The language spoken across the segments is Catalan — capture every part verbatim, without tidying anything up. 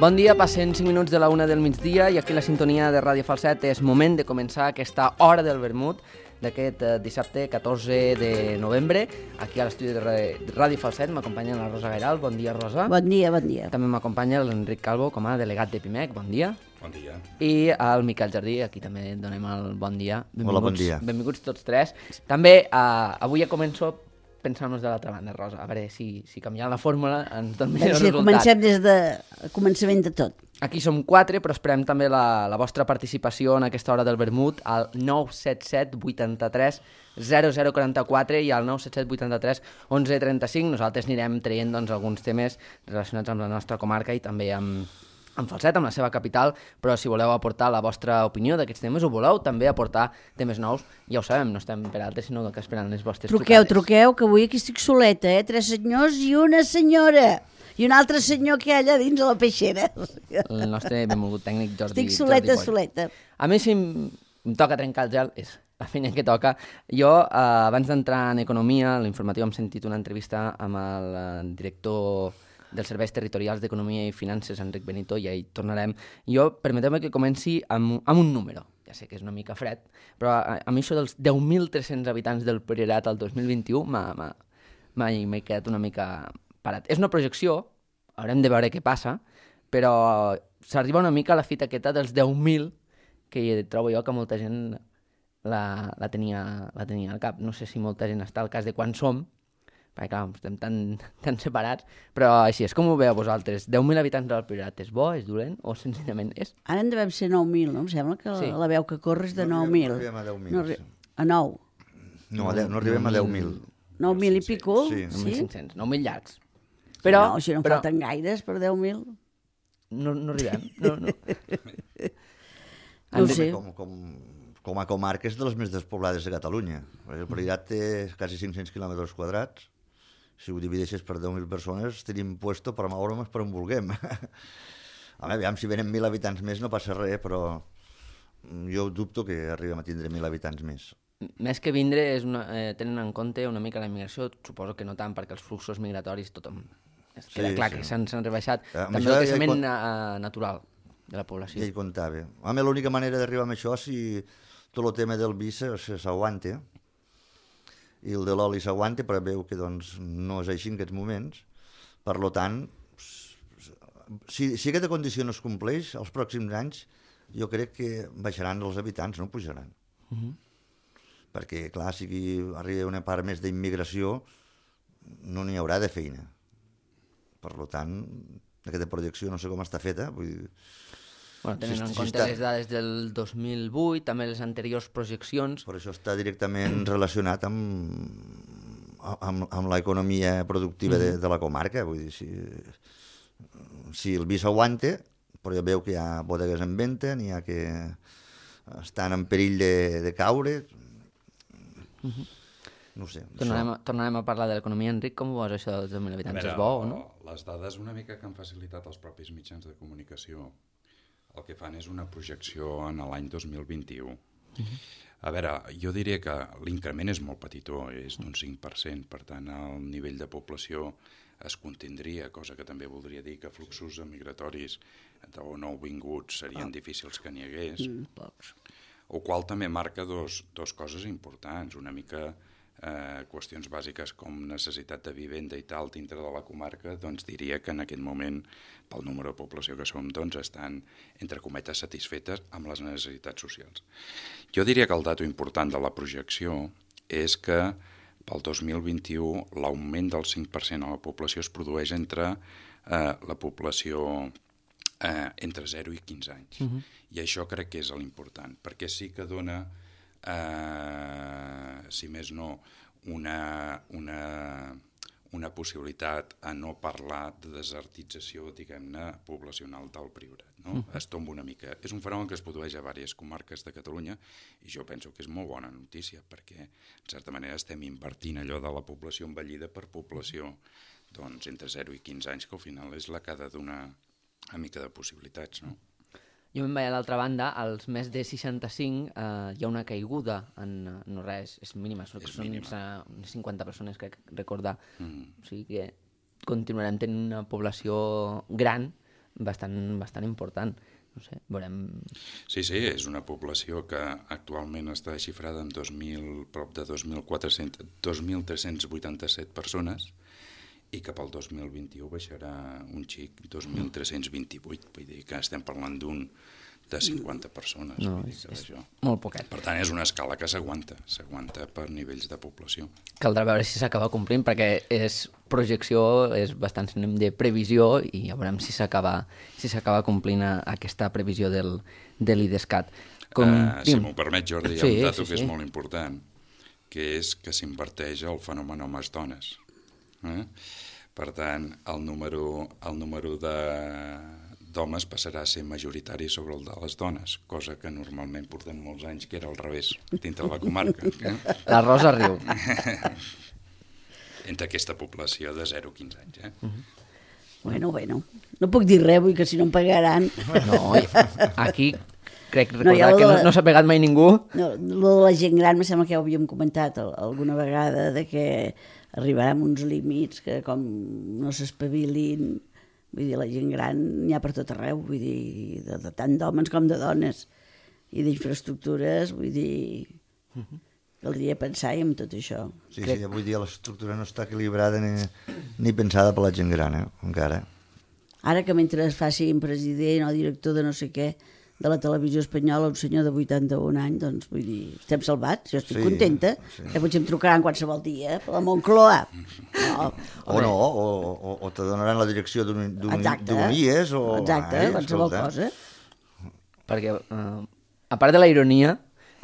Bon dia, passen cinc minuts de la una del migdia i aquí la sintonia de Ràdio Falset és moment de començar aquesta hora del vermut d'aquest eh, dissabte catorze de novembre. Aquí a l'estudi de Ràdio Falset m'acompanya la Rosa Gairal. Bon dia, Rosa. Bon dia, bon dia. També m'acompanya l'Enric Calvo com a delegat de Pimec. Bon dia. Bon dia. I el Miquel Jardí, aquí també donem el bon dia. Benvinguts, Hola, bon dia. Benvinguts tots tres. També eh, avui ja començo pensant-nos de l'altra banda, Rosa. A veure si, si canviant la fórmula ens dona millor Sí, resultat. comencem des de començament de tot. Aquí som quatre, però esperem també la, la vostra participació en aquesta hora del vermut al nou set set vuitanta-tres zero zero quaranta-quatre i al nou set set vuitanta-tres onze trenta-cinc. Nosaltres anirem traient doncs, alguns temes relacionats amb la nostra comarca i també amb, amb Falset, amb la seva capital, però si voleu aportar la vostra opinió d'aquests temes o voleu també aportar temes nous, ja ho sabem, no estem per altres, sinó que esperant les vostres Truqueu, trucades. truqueu, que avui aquí estic soleta, eh? Tres senyors i una senyora. I un altre senyor que hi ha allà dins a la peixera. El nostre benvolgut tècnic Jordi Estic soleta, Jordi Boy. soleta. A mi, si em, em toca trencar el gel, és la feina que toca. Jo, eh, abans d'entrar en Economia, a l'informatiu hem sentit una entrevista amb el eh, director dels Serveis Territorials d'Economia i Finances, Enric Benito, i ahí tornarem. Jo, permeteu-me que comenci amb, amb un número. Ja sé que és una mica fred, però a, a mi això dels deu mil tres-cents habitants del Priorat al dos mil vint-i-u m'ha m'he quedat una mica parat. És una projecció, haurem de veure què passa, però s'arriba una mica a la fita aquesta dels deu mil, que trobo jo que molta gent la, la, tenia, la tenia al cap. No sé si molta gent està al cas de quan som, perquè clar, estem tan, tan separats, però així és com ho veieu vosaltres. deu mil habitants del Priorat, és bo, és dolent o senzillament és? Ara en devem ser nou mil, no? Em sembla que Sí. la, la veu que corre és de No nou arribem- mil. no arribem a deu mil, No arri- sí. A nou. No, a deu, no arribem a deu mil. nou mil i pico? Sí. nou mil cinc-cents, nou mil llargs. Però, no, si no en però falten gaires per deu mil. no, no arribem. No, no. No ho sé. Com, com, com a comarca és de les més despoblades de Catalunya. El Priorat té quasi cinc-cents quilòmetres quadrats. Si ho divideixes per deu mil persones, tenim puesto per moure'ns per on vulguem. A veure, aviam, si venen mil habitants més no passa res, però jo dubto que arribem a tindre mil habitants més. Més que vindre, és una, eh, tenen en compte una mica la immigració, suposo que no tant, perquè els fluxos migratoris tothom... Es queda Sí, clar sí. que s'han s'han rebaixat. Eh, amb També això el ja hi creixement con- eh, natural de la població. Ja hi comptava. A mi l'única manera d'arribar amb això si tot el tema del vi se- se- s'aguanta i el de l'oli s'aguanta, però veu que doncs, no és així en aquests moments. Per lo tant, si, si aquesta condició no es compleix, els pròxims anys jo crec que baixaran els habitants, no pujaran. Uh -huh. Perquè, clar, si aquí arriba una part més d'immigració, no n'hi haurà de feina. Per lo tant, aquesta projecció no sé com està feta, vull dir, Bueno, tenen si- en si compte està- les dades del dos mil vuit, també les anteriors projeccions. per això està directament relacionat amb, amb, amb l'economia productiva de, de la comarca. Vull dir, si, si el vi s'aguanta, però ja veu que hi ha bodegues en venda, n'hi ha que estan en perill de, de caure. No ho sé. Tornarem, això- a, tornarem a parlar de l'economia. Enric, com ho veus això dels deu mil habitants? És bo o no? Les dades una mica que han facilitat els propis mitjans de comunicació el que fan és una projecció en l'any dos mil vint-i-u. Uh-huh. A veure, jo diria que l'increment és molt petitó, és d'un cinc per cent, per tant el nivell de població es contindria, cosa que també voldria dir que fluxos migratoris o nouvinguts serien ah. difícils que n'hi hagués, Mm, pocs. o qual també marca dos, dos coses importants, una mica eh, qüestions bàsiques com necessitat de vivenda i tal dintre de la comarca, doncs diria que en aquest moment, pel número de població que som, doncs estan, entre cometes, satisfetes amb les necessitats socials. Jo diria que el dato important de la projecció és que pel dos mil vint-i-u l'augment del cinc per cent a la població es produeix entre eh, la població eh, entre zero i quinze anys. Uh-huh. I això crec que és l'important, perquè sí que dona, eh, si més no, una, una, una possibilitat a no parlar de desertització, diguem-ne, poblacional del Priorat. No? Uh-huh. Es tomba una mica. És un fenomen que es produeix a diverses comarques de Catalunya i jo penso que és molt bona notícia perquè, en certa manera, estem invertint allò de la població envellida per població doncs, entre zero i quinze anys, que al final és la que ha de donar una mica de possibilitats, no? Jo me'n vaig a l'altra banda, als més de seixanta-cinc eh, hi ha una caiguda en, no res, és mínima, són, És són mínima. unes cinquanta persones, crec recordar. Mm. O sigui que continuarem tenint una població gran, bastant, bastant important. No sé, veurem... Sí, sí, és una població que actualment està xifrada en dos mil, prop de dos mil quatre-cents, dos mil tres-cents vuitanta-set persones i que pel dos mil vint-i-u baixarà un xic, dos mil tres-cents vint-i-vuit, vull dir que estem parlant d'un de cinquanta persones. No, vull dir és, que és això. molt poquet. Per tant, és una escala que s'aguanta, s'aguanta per nivells de població. Caldrà veure si s'acaba complint, perquè és projecció, és bastant sinònim de previsió, i ja veurem si s'acaba si s'acaba complint a, aquesta previsió del, de l'IDESCAT. Com... Uh, si m'ho permet, Jordi, hi ha sí, un dato sí, que sí. és molt important, que és que s'inverteix el fenomen homes-dones. Eh? Per tant, el número, el número de d'homes passarà a ser majoritari sobre el de les dones, cosa que normalment portem molts anys que era al revés, dintre de la comarca. Eh? La Rosa riu. Entre aquesta població de zero a quinze anys. Eh? Uh-huh. Bueno, bueno, no puc dir res, vull que si no em pagaran... No, aquí crec No, recordar ja lo que de no, la- no s'ha pegat mai ningú. No, lo de la gent gran, me sembla que ja ho havíem comentat al- alguna vegada, de que arribarem uns límits que com no s'espavilin, vull dir, la gent gran n'hi ha per tot arreu, vull dir, de, de tant d'homes com de dones, i d'infraestructures, vull dir, caldria pensar-hi en tot això. Sí, sí, avui dia l'estructura no està equilibrada ni, ni pensada per la gent gran, eh? encara. Ara que mentre es faci president o director de no sé què de la televisió espanyola, un senyor de vuitanta-un anys, doncs vull dir, estem salvats, jo estic Sí, contenta, sí. que potser em trucaran qualsevol dia, per la Moncloa. No, O no, o, o, o te donaran la direcció d'un d'un- exacte, d'un I E S o... exacte, Ai, qualsevol escolta. cosa. Perquè, uh, a part de la ironia,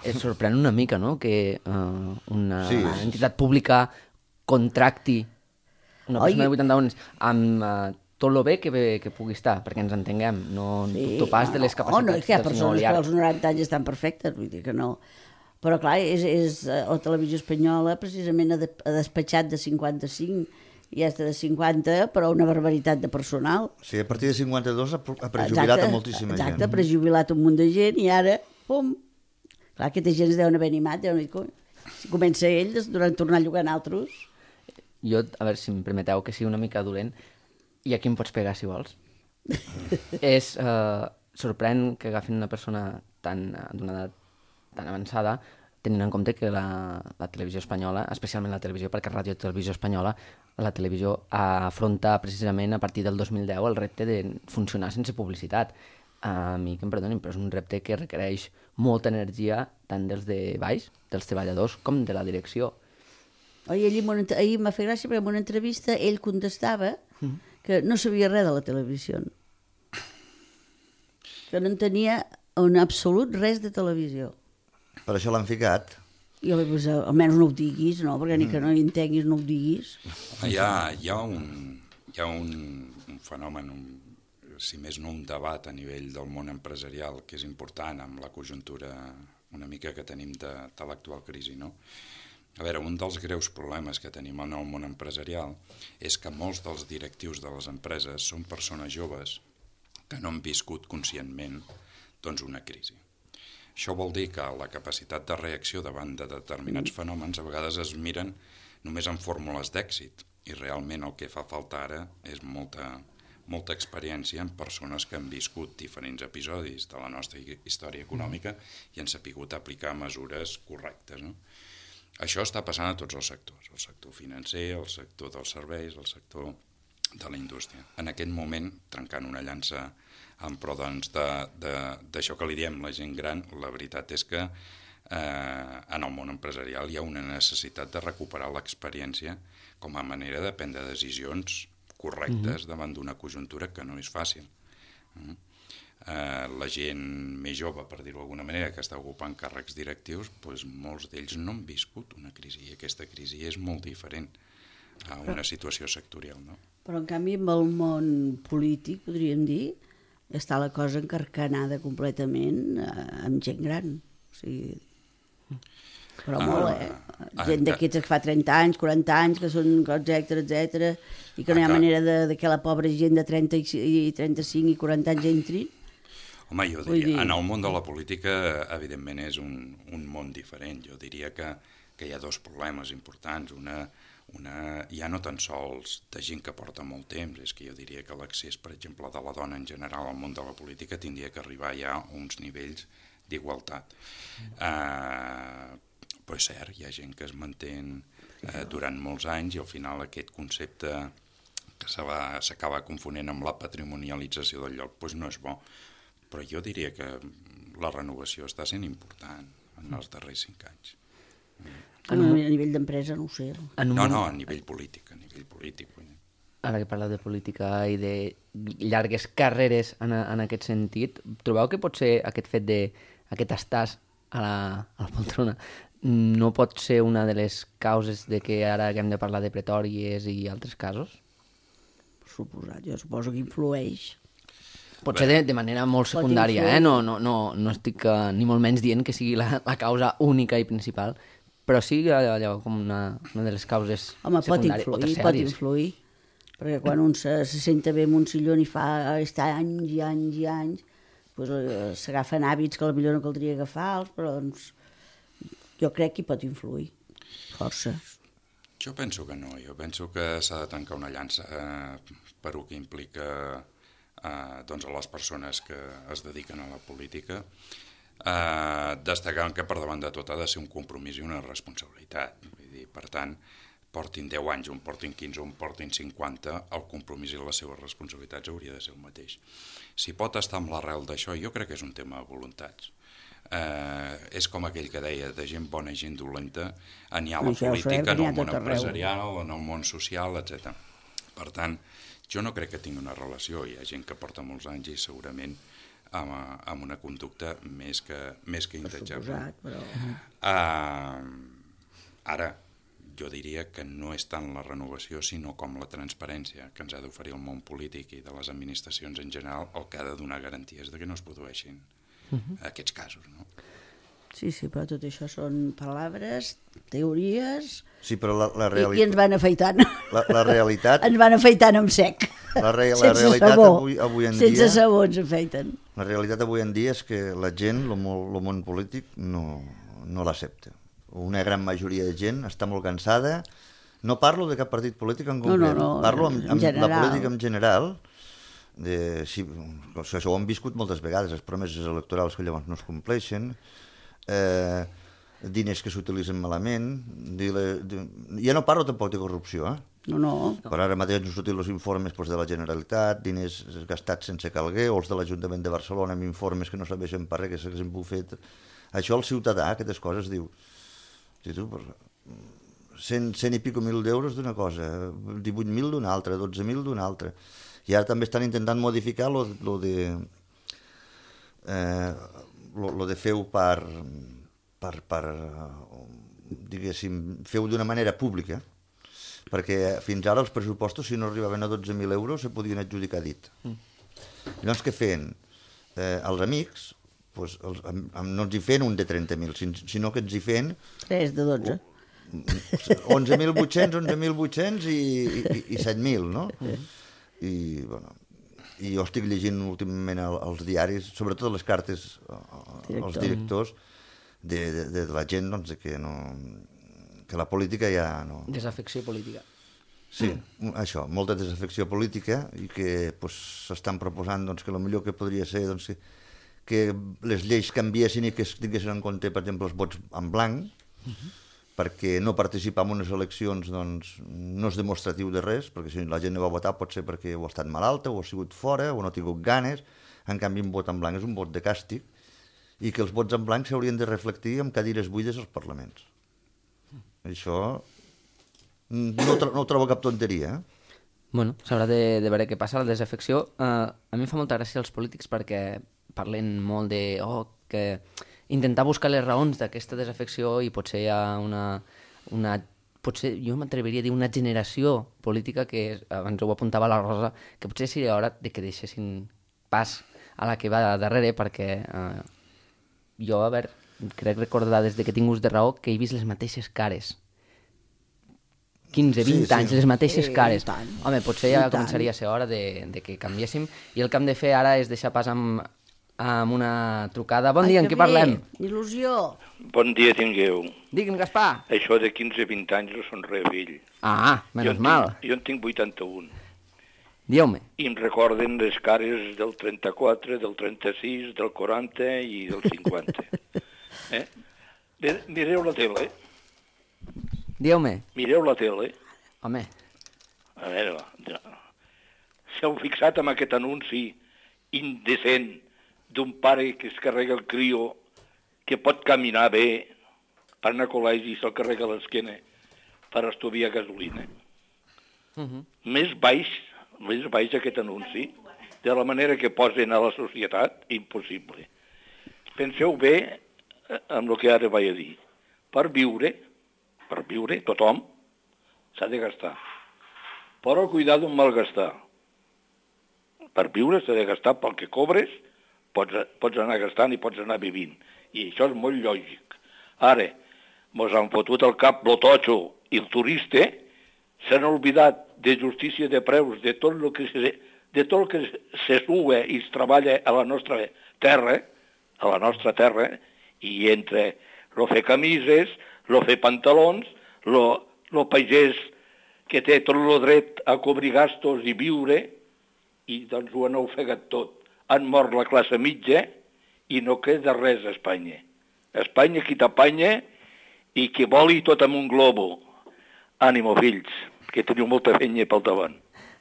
et sorprèn una mica, no?, que uh, una Sí. entitat pública contracti una Oi. persona de vuitanta-un anys amb uh, tot lo bé que, bé que pugui estar, perquè ens entenguem, no Sí, dubto pas de les no, capacitats no, és que hi ha del senyor persones que Oliar. als noranta anys estan perfectes, vull dir que no. Però clar, és, és, eh, la televisió espanyola precisament ha, de, ha despatxat de cinquanta-cinc i ja està de cinquanta, però una barbaritat de personal. Sí, a partir de cinquanta-dos ha, pre- ha prejubilat a moltíssima exacte, gent. ha prejubilat un munt de gent i ara, pum, clar, aquesta gent es deuen haver animat, deuen dir, "Coi, si comença ell, es deuen tornar a llogar en altres." Jo, a veure si em permeteu que sigui una mica dolent, i aquí em pots pegar si vols. És eh, sorprèn que agafin una persona tan eh, d'una edat tan avançada, tenint en compte que la, la televisió espanyola, especialment la televisió, perquè Ràdio Televisió Espanyola, la televisió afronta precisament a partir del dos mil deu el repte de funcionar sense publicitat. A mi que em perdonin, però és un repte que requereix molta energia tant dels de baix, dels treballadors, com de la direcció. Oi, ell, en una ent- ahir m'ha fet gràcia perquè en una entrevista ell contestava que no sabia res de la televisió. Que no entenia en absolut res de televisió. Per això l'han ficat. I jo vaig pensar, almenys no ho diguis, no? Perquè ni que no hi entenguis no ho diguis. Hi ha, hi ha, un, hi ha un, un fenomen, un, si més no un debat a nivell del món empresarial que és important amb la conjuntura una mica que tenim de, de l'actual crisi, no? A veure, un dels greus problemes que tenim en el món empresarial és que molts dels directius de les empreses són persones joves que no han viscut conscientment doncs, una crisi. Això vol dir que la capacitat de reacció davant de determinats fenòmens a vegades es miren només en fórmules d'èxit i realment el que fa falta ara és molta, molta experiència en persones que han viscut diferents episodis de la nostra història econòmica i han sapigut aplicar mesures correctes, no? Això està passant a tots els sectors, el sector financer, el sector dels serveis, el sector de la indústria. En aquest moment, trencant una llança en pro doncs, d'això que li diem la gent gran, la veritat és que eh, en el món empresarial hi ha una necessitat de recuperar l'experiència com a manera de prendre decisions correctes mm-hmm. davant d'una conjuntura que no és fàcil. Mm? Eh, la gent més jove, per dir-ho d'alguna manera, que està ocupant càrrecs directius, doncs molts d'ells no han viscut una crisi i aquesta crisi és molt diferent a una situació sectorial, no? Però en canvi amb el món polític, podríem dir, està la cosa encarcanada completament eh, amb gent gran. O sigui, però Ah, molt, eh? ah, Gent ah, d'aquests que fa trenta anys, quaranta anys, que són etcètera, etcètera, i que no hi ha Ah, clar. manera de, de que la pobra gent de trenta i trenta-cinc i quaranta anys entrin. Home, jo Vull diria, dir- en el món de la política, evidentment, és un, un món diferent. Jo diria que, que hi ha dos problemes importants. Una, una, ja no tan sols de gent que porta molt temps, és que jo diria que l'accés, per exemple, de la dona en general al món de la política tindria que arribar ja a uns nivells d'igualtat. Eh, però és cert, hi ha gent que es mantén eh, durant molts anys i al final aquest concepte que s'acaba confonent amb la patrimonialització del lloc doncs no és bo. Però jo diria que la renovació està sent important en els darrers cinc anys. A nivell d'empresa no ho sé. No, no, a nivell polític, a nivell polític. Ara que parleu de política i de llargues carreres en, en aquest sentit, trobeu que potser aquest fet de aquest estàs a la, a la poltrona no pot ser una de les causes de que ara haguem de parlar de pretòries i altres casos? Per suposat, jo suposo que influeix. Potser de, de manera molt secundària, eh? No, no, no, no estic uh, ni molt menys dient que sigui la, la causa única i principal, però sí allò com una, una de les causes Home, secundàries pot o influir, terciàries. pot influir, perquè quan un se, se senta bé en un sillon i fa està anys i anys i anys, doncs s'agafen hàbits que potser no caldria agafar-los, però doncs, jo crec que hi pot influir, força. Jo penso que no, jo penso que s'ha de tancar una llança eh, per el que implica eh, doncs a les persones que es dediquen a la política, eh, destacant que per davant de tot ha de ser un compromís i una responsabilitat. Vull dir, per tant, portin deu anys, un portin quinze, un portin cinquanta, el compromís i les seves responsabilitats hauria de ser el mateix. Si pot estar amb l'arrel d'això, jo crec que és un tema de voluntats. Eh, és com aquell que deia de gent bona i gent dolenta, n'hi ha la política, en el món empresarial, en el món social, etcètera. Per tant, jo no crec que tingui una relació, hi ha gent que porta molts anys i segurament amb, amb una conducta més que, més que intatjable. Però... Uh, ara, jo diria que no és tant la renovació, sinó com la transparència que ens ha d'oferir el món polític i de les administracions en general, el que ha de donar garanties de que no es produeixin uh-huh. aquests casos, no? Sí, sí, però tot això són paraules, teories... Sí, però la, la realitat... I, I ens van afeitant. La, la realitat... ens van afeitant amb sec. La, re, la realitat sabó. avui, avui en Sense dia... Sense sabó ens afeiten. La realitat avui en dia és que la gent, el món, el món polític, no, no l'accepta. Una gran majoria de gent està molt cansada. No parlo de cap partit polític en concret. No, no, no. Parlo amb, amb general. la política en general. De, si, això ho hem viscut moltes vegades, les promeses electorals que llavors no es compleixen, eh, diners que s'utilitzen malament, dile, de, ja no parlo tampoc de corrupció, eh? No, no. Per ara mateix ens sortit els informes doncs, de la Generalitat, diners gastats sense calguer, o els de l'Ajuntament de Barcelona amb informes que no sabeixen per res, que s'haguessin bufet. Això el ciutadà, aquestes coses, diu, si tu, cent, cent i pico mil d'euros d'una cosa, divuit mil d'una altra, dotze mil d'una altra. I ara també estan intentant modificar lo, lo de eh, lo, lo de fer-ho per, per, per diguéssim, fer-ho d'una manera pública, perquè fins ara els pressupostos, si no arribaven a dotze mil euros, se podien adjudicar dit. Mm. Llavors, què feien? Eh, els amics, pues, els, no ens hi feien un de trenta mil, sinó que ens hi feien... tres de dotze. onze mil vuit-cents, onze mil vuit-cents i, i, i set mil, no? I, bueno, i jo estic llegint últimament els diaris, sobretot les cartes Director. als directors, de, de, de la gent, doncs, que no... que la política ja no... Desafecció política. Sí, mm. això, molta desafecció política i que s'estan doncs, proposant doncs, que el millor que podria ser doncs, que, que les lleis canviessin i que es tinguessin en compte, per exemple, els vots en blanc, uh-huh. perquè no participar en unes eleccions doncs, no és demostratiu de res, perquè si la gent no va votar pot ser perquè o ha estat malalta, o ha sigut fora, o no ha tingut ganes. En canvi, un vot en blanc és un vot de càstig i que els vots en blanc s'haurien de reflectir amb cadires buides als parlaments. Això no, tro no ho trobo cap tonteria. Eh? Bueno, s'haurà de, de veure què passa. La desafecció, eh, a mi em fa molta gràcia els polítics perquè parlen molt de oh, que intentar buscar les raons d'aquesta desafecció i potser hi ha una, una potser jo m'atreviria a dir una generació política que, abans ho apuntava la Rosa, que potser seria hora de que deixessin pas a la que va darrere perquè eh, jo, a veure, crec recordar des de que tinc ús de raó que he vist les mateixes cares. quinze, vint sí, sí. anys, les mateixes cares. Tant. Home, potser ja començaria a ser hora de, de que canviéssim i el que hem de fer ara és deixar pas amb amb una trucada. Bon Ai, dia, en que què parlem? bé, il·lusió. Bon dia tingueu. Digui'm, Gaspar. Això de quinze a vint anys no són res vell. Ah, menys jo mal. Tinc, jo en tinc vuitanta-un. Dieu-me. I em recorden les cares del trenta-quatre, del trenta-sis, del quaranta i del cinquanta. eh? Mireu la tele. Dieu-me. Mireu la tele. Home. A veure, s'heu fixat en aquest anunci indecent d'un pare que es carrega el crio, que pot caminar bé, per anar a col·legi i se'l carrega a l'esquena per estudiar gasolina. Uh -huh. Més baix, més baix aquest anunci, de la manera que posen a la societat, impossible. Penseu bé amb el que ara vaig a dir. Per viure, per viure, tothom s'ha de gastar. Però cuidar d'un malgastar. Per viure s'ha de gastar pel que cobres, pots, pots anar gastant i pots anar vivint. I això és molt lògic. Ara, mos han fotut al cap lo totxo i el turista, s'han oblidat de justícia de preus, de tot el que se, de tot el que se sua i es treballa a la nostra terra, a la nostra terra, i entre lo fer camises, lo fer pantalons, lo, lo pagès que té tot el dret a cobrir gastos i viure, i doncs ho han ofegat tot. Han mort la classe mitja i no queda res a Espanya. Espanya qui t'apanya i qui voli tot amb un globo. Ànimo, fills, que teniu molta feina pel davant.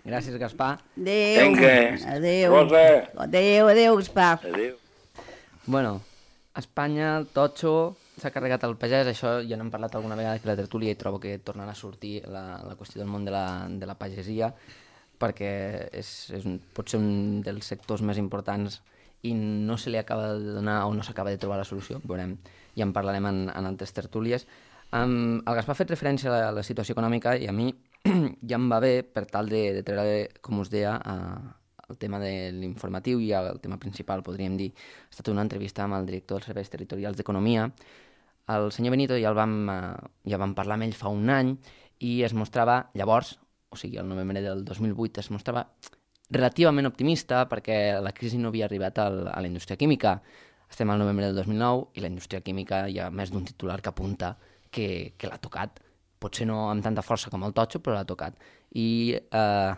Gràcies, Gaspar. Adéu. Vinga. Adéu. Rosa. Adéu, adéu, Gaspar. Adéu. Bueno, Espanya, el totxo, s'ha carregat el pagès, això ja n'hem parlat alguna vegada que la tertúlia i trobo que tornarà a sortir la, la qüestió del món de la, de la pagesia, perquè és, és un, pot ser un dels sectors més importants i no se li acaba de donar o no s'acaba de trobar la solució, veurem, ja en parlarem en, en altres tertúlies. Um, el Gaspar ha fet referència a la, a la situació econòmica i a mi ja em va bé per tal de, de treure, com us deia, a, el tema de l'informatiu i el tema principal, podríem dir. Ha estat una entrevista amb el director dels serveis territorials d'Economia. El senyor Benito ja el vam, ja vam parlar amb ell fa un any i es mostrava llavors, o sigui, el novembre del dos mil vuit, es mostrava relativament optimista perquè la crisi no havia arribat al, a la indústria química. Estem al novembre del dos mil nou i la indústria química hi ha més d'un titular que apunta que, que l'ha tocat. Potser no amb tanta força com el totxo, però l'ha tocat. I eh,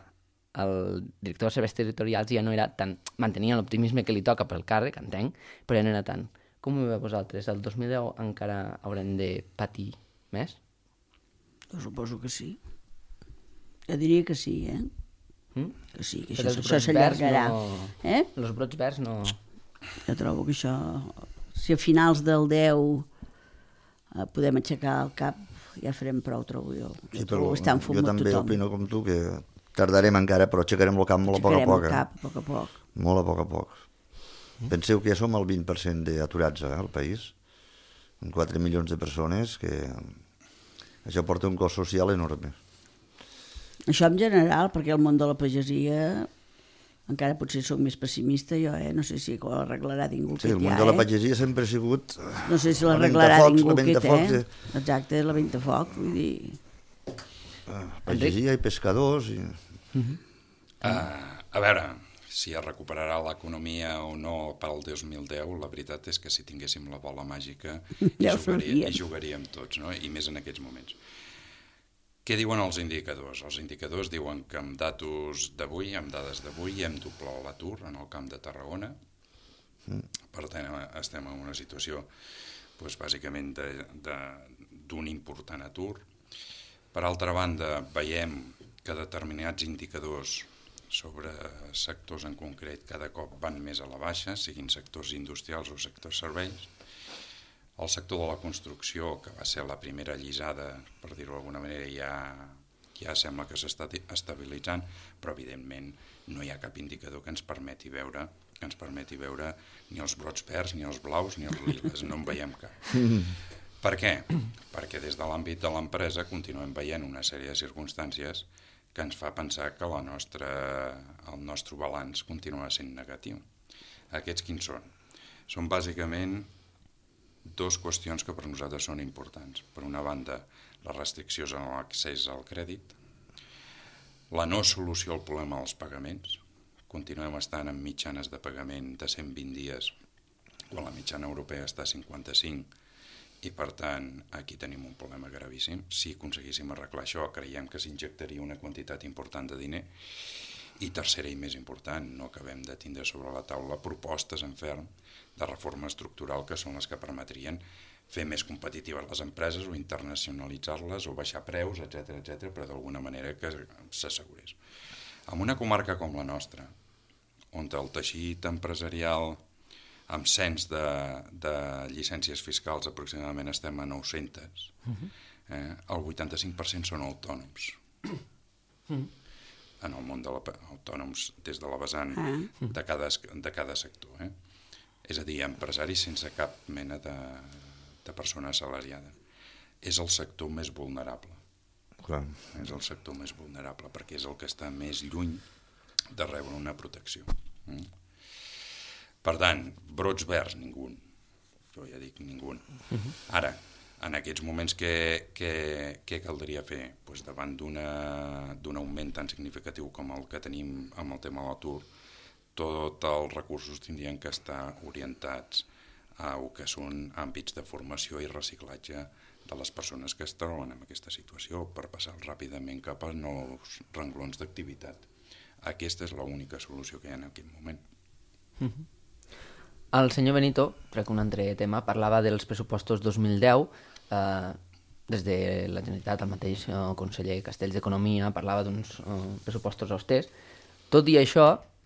el director dels serveis territorials ja no era tan... Mantenia l'optimisme que li toca pel càrrec, entenc, però ja no era tant. Com ho veieu vosaltres? El dos mil deu encara haurem de patir més? Jo suposo que sí. Jo diria que sí, eh? Mm? Que sí, que Però això, els això brots verds s'allargarà. no... Eh? Els brots verds no... Jo trobo que això... Si a finals del deu eh, podem aixecar el cap, ja farem prou, trobo jo. Sí, Jo però trobo estar en fum jo amb també tothom. opino com tu que tardarem encara, però aixecarem el cap molt a poc a Aixecarem poc. el eh? cap a poc a poc. Molt a poc a poc. Mm. Penseu que ja som el vint per cent d'aturats eh, al país, amb quatre milions de persones, que això porta un cost social enorme. Això en general, perquè el món de la pagesia encara potser soc més pessimista jo, eh? No sé si ho arreglarà ningú Sí, el aquest món ja, de la eh? pagesia sempre ha sigut... No sé si la l'arreglarà ventafocs, ningú la aquest, ventafocs, eh? Exacte, la ventafoc, vull dir... Pagesia i pescadors... I... Uh, a veure, si es recuperarà l'economia o no pel dos mil deu, la veritat és que si tinguéssim la bola màgica hi, Ja ho jugaria, faríem. hi jugaríem tots, no? I més en aquests moments. Què diuen els indicadors? Els indicadors diuen que amb datos d'avui, amb dades d'avui, hem doblat l'atur en el camp de Tarragona. Per tant, estem en una situació doncs, bàsicament d'un important atur. Per altra banda, veiem que determinats indicadors sobre sectors en concret cada cop van més a la baixa, siguin sectors industrials o sectors serveis. El sector de la construcció, que va ser la primera allisada, per dir-ho d'alguna manera, ja, ja sembla que s'està estabilitzant, però evidentment no hi ha cap indicador que ens permeti veure que ens permeti veure ni els brots verds, ni els blaus, ni els liles, no en veiem cap. Per què? Perquè des de l'àmbit de l'empresa continuem veient una sèrie de circumstàncies que ens fa pensar que la nostra, el nostre balanç continua sent negatiu. Aquests quins són? Són bàsicament dues qüestions que per nosaltres són importants. Per una banda, les restriccions en l'accés al crèdit, la no solució al problema dels pagaments, continuem estant en mitjanes de pagament de cent vint dies, quan la mitjana europea està a cinquanta-cinc, i per tant aquí tenim un problema gravíssim. Si aconseguíssim arreglar això, creiem que s'injectaria una quantitat important de diner. I tercera i més important, no acabem de tindre sobre la taula propostes en ferm de reforma estructural que són les que permetrien fer més competitives les empreses o internacionalitzar-les o baixar preus, etcètera, etcètera, però d'alguna manera que s'assegurés. En una comarca com la nostra, on el teixit empresarial amb cens de, de llicències fiscals aproximadament estem a nou-centes, eh, el vuitanta-cinc per cent són autònoms. En el món dels autònoms des de la vessant de cada, de cada sector. Eh? És a dir, empresaris sense cap mena de, de persona assalariada. És el sector més vulnerable. Clar. És el sector més vulnerable perquè és el que està més lluny de rebre una protecció. Mm? Per tant, brots verds, ningú. Jo ja dic ningú. Ara, en aquests moments què, què, què caldria fer? Pues davant d'un augment tan significatiu com el que tenim amb el tema de l'atur, tots els recursos tindrien que estar orientats a el que són àmbits de formació i reciclatge de les persones que es troben en aquesta situació per passar ràpidament cap a nous renglons d'activitat. Aquesta és l'única solució que hi ha en aquest moment. Mm-hmm. El senyor Benito, trec un altre tema, parlava dels pressupostos dos mil deu, eh, des de la Generalitat, el mateix eh, conseller Castells d'Economia parlava d'uns eh, pressupostos austers. Tot i això,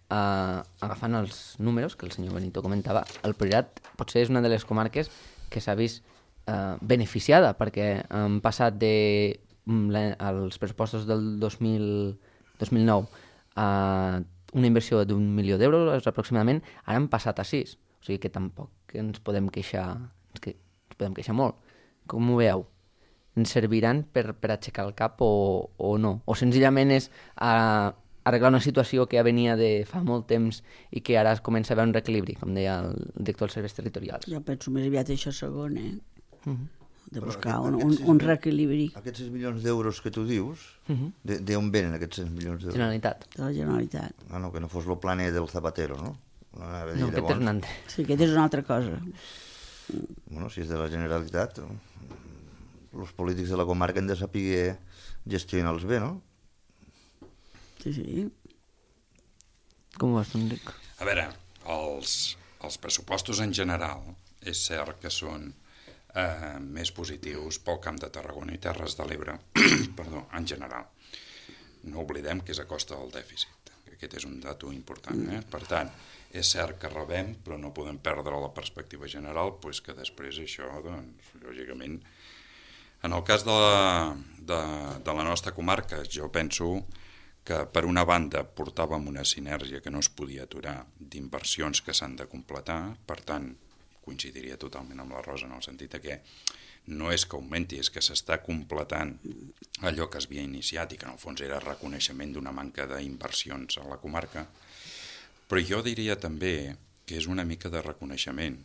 eh, agafant els números que el senyor Benito comentava, el Priorat potser és una de les comarques que s'ha vist eh, beneficiada, perquè han passat de la, els pressupostos del dos mil nou a una inversió d'un milió d'euros aproximadament, ara han passat a sis. O sigui que tampoc ens podem queixar, que ens podem queixar molt. Com ho veieu? Ens serviran per, per aixecar el cap o, o no? O senzillament és a, arreglar una situació que ja venia de fa molt temps i que ara es comença a veure un reequilibri, com deia el director dels serveis territorials? Jo penso més aviat això segon, eh? Uh-huh. De buscar un, un, un reequilibri. Aquests sis milions d'euros que tu dius, uh-huh. d'on venen aquests sis milions d'euros? Generalitat. De la Generalitat. Ah, no, que no fos lo plane del Zapatero, no? No, no aquest és un altre. Sí, aquest és una altra cosa. Bueno, si és de la Generalitat, els polítics de la comarca han de saber gestionar-los bé, no? Sí, sí. Com ho veus, Enric? A veure, els, els pressupostos en general és cert que són eh, més positius pel Camp de Tarragona i Terres de l'Ebre, perdó, en general. No oblidem que és a costa del dèficit. Aquest és un dato important. Eh? Per tant, és cert que rebem, però no podem perdre la perspectiva general, pues que després això, doncs, lògicament, en el cas de la, de, de la nostra comarca, jo penso que per una banda portàvem una sinergia que no es podia aturar d'inversions que s'han de completar, per tant, coincidiria totalment amb la Rosa en el sentit que no és que augmenti, és que s'està completant allò que es havia iniciat i que en el fons era reconeixement d'una manca d'inversions a la comarca, però jo diria també que és una mica de reconeixement,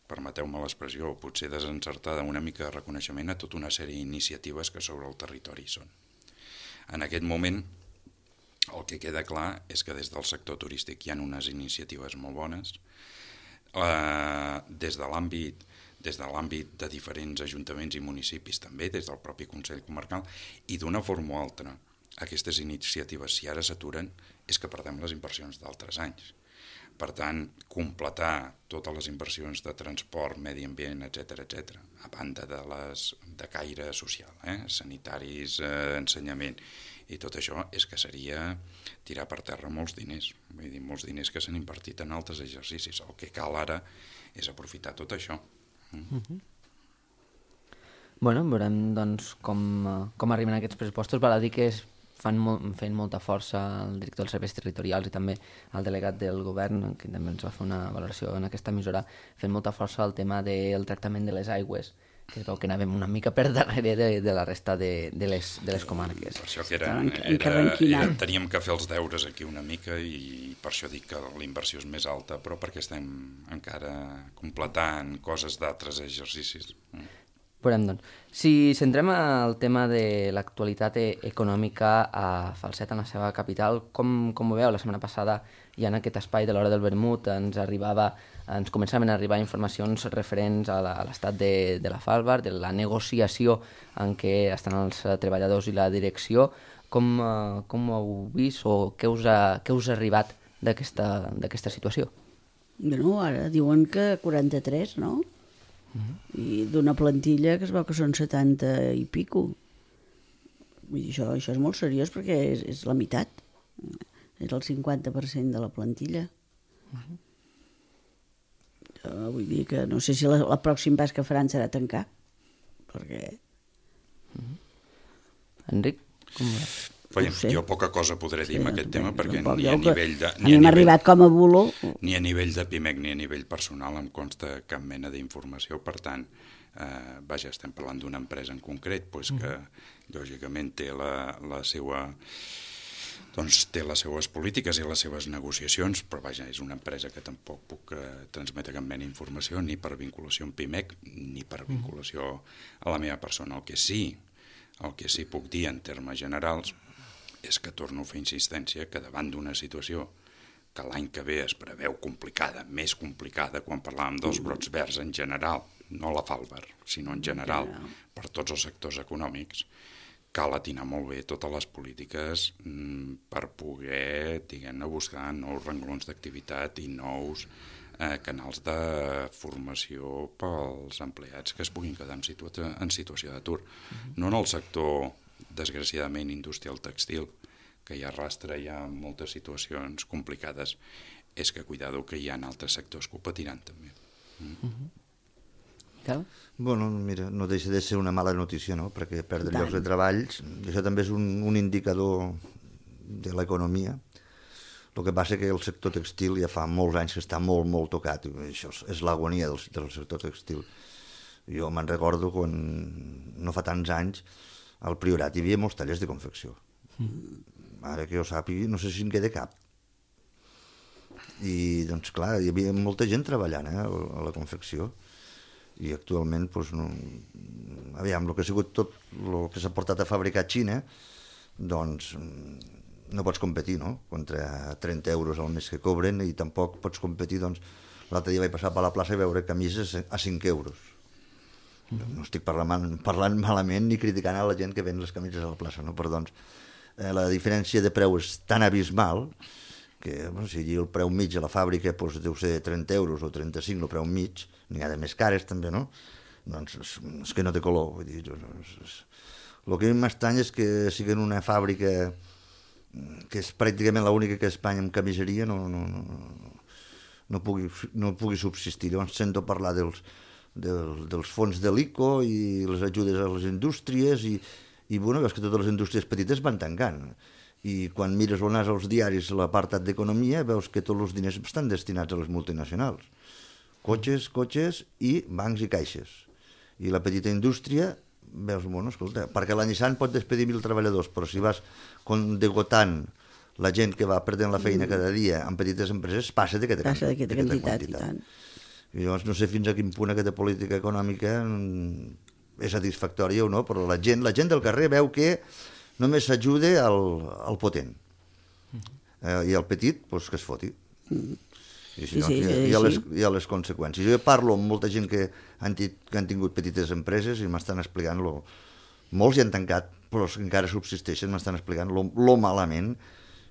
permeteu-me l'expressió, potser desencertada, una mica de reconeixement a tota una sèrie d'iniciatives que sobre el territori són. En aquest moment, el que queda clar és que des del sector turístic hi ha unes iniciatives molt bones, eh, des de l'àmbit des de l'àmbit de diferents ajuntaments i municipis també, des del propi Consell Comarcal, i d'una forma o altra, aquestes iniciatives, si ara s'aturen, és que perdem les inversions d'altres anys. Per tant, completar totes les inversions de transport, medi ambient, etcètera, etcètera, a banda de les de caire social, eh? sanitaris, eh, ensenyament, i tot això és que seria tirar per terra molts diners, vull dir, molts diners que s'han invertit en altres exercicis. El que cal ara és aprofitar tot això. Mm. Uh-huh. Bueno, veurem doncs, com, com arriben aquests pressupostos. Val a dir que es fan molt, fent molta força el director dels serveis territorials i també el delegat del govern, que també ens va fer una valoració en aquesta emissora, fent molta força el tema del tractament de les aigües, que es veu que anàvem una mica per darrere de, de la resta de, de, les, de les comarques. Per això que era, era, era, teníem que fer els deures aquí una mica i per això dic que la inversió és més alta, però perquè estem encara completant coses d'altres exercicis. Veurem, doncs. Si centrem el tema de l'actualitat econòmica a Falset, en la seva capital, com, com ho veu? La setmana passada, ja en aquest espai de l'Hora del Vermut, ens arribava, ens començaven a arribar informacions referents a l'estat de, de la Falvar, de la negociació en què estan els treballadors i la direcció. Com, com ho heu vist o què us ha, què us ha arribat d'aquesta situació? Bueno, ara diuen que quaranta-tres, no? Uh-huh. I d'una plantilla que es veu que són setanta i pico. Vull dir, això, això és molt seriós perquè és, és la meitat. És el cinquanta per cent de la plantilla. Uh-huh. Jo vull dir que no sé si la, la pròxim pas que faran serà tancar. Perquè... Uh-huh. Enric, com ho veus? Veiem, no jo poca cosa podré dir sí, en aquest tema perquè tampoc, ni a nivell de... Ni a nivell, arribat com a bulo. Ni a nivell de PIMEC ni a nivell personal em consta cap mena d'informació, per tant, eh, vaja, estem parlant d'una empresa en concret pues, que lògicament té la, la seva... doncs té les seues polítiques i les seves negociacions, però vaja, és una empresa que tampoc puc eh, transmetre cap mena d'informació ni per vinculació amb PIMEC ni per vinculació a la meva persona. El que sí, el que sí puc dir en termes generals és que torno a fer insistència que davant d'una situació que l'any que ve es preveu complicada, més complicada quan parlàvem dels brots verds en general, no la Falvar, sinó en general, per tots els sectors econòmics, cal atinar molt bé totes les polítiques per poder, diguem-ne, buscar nous renglons d'activitat i nous eh, canals de formació pels empleats que es puguin quedar en, situa en situació d'atur. No en el sector, desgraciadament, industrial textil, que ja arrastra ja moltes situacions complicades, és que cuidado que hi ha altres sectors que ho patiran també. Mm. Uh-huh. Bueno, mira, no deixa de ser una mala notícia, no?, perquè perdre llocs de treball, això també és un, un indicador de l'economia. El que passa que el sector textil ja fa molts anys que està molt, molt tocat, i això és l'agonia del, del sector textil. Jo me'n recordo quan, no fa tants anys, al Priorat hi havia molts tallers de confecció. Mm. Ara que jo sàpiga, no sé si en queda cap. I, doncs, clar, hi havia molta gent treballant eh, a la confecció. I actualment, doncs, no... aviam, el que ha sigut tot el que s'ha portat a fabricar a Xina, doncs no pots competir, no?, contra trenta euros al mes que cobren, i tampoc pots competir, doncs, l'altre dia vaig passar per la plaça i veure camises a cinc euros. No estic parlant, parlant malament ni criticant a la gent que ven les camises a la plaça, no? Però doncs eh, la diferència de preu és tan abismal que bueno, si el preu mig a la fàbrica doncs, deu ser trenta euros o trenta-cinc, el preu mig, n'hi ha de més cares també, no? Doncs és, és que no té color. Vull dir, és, és... El que m'estranya és que sigui una fàbrica que és pràcticament l'única que a Espanya amb camiseria no, no, no, no, pugui, no pugui subsistir. Llavors sento parlar dels Del, dels fons de l'I C O i les ajudes a les indústries i, i bueno, veus que totes les indústries petites van tancant i quan mires on als diaris l'apartat d'economia veus que tots els diners estan destinats a les multinacionals, cotxes, cotxes i bancs i caixes, i la petita indústria veus, bueno, escolta, perquè la Nissan pot despedir mil treballadors, però si vas degotant la gent que va perdent la feina cada dia en petites empreses, passa d'aquesta quantitat, quantitat i tant. I llavors no sé fins a quin punt aquesta política econòmica és satisfactòria o no, però la gent, la gent del carrer veu que només s'ajuda al, al potent. Eh, I el petit, doncs que es foti. I si sí, no, sí, hi, ha, sí, hi, ha les, sí. hi ha les conseqüències. Jo parlo amb molta gent que han, tit, que han tingut petites empreses i m'estan explicant lo, molts hi han tancat, però encara subsisteixen, m'estan explicant lo, lo malament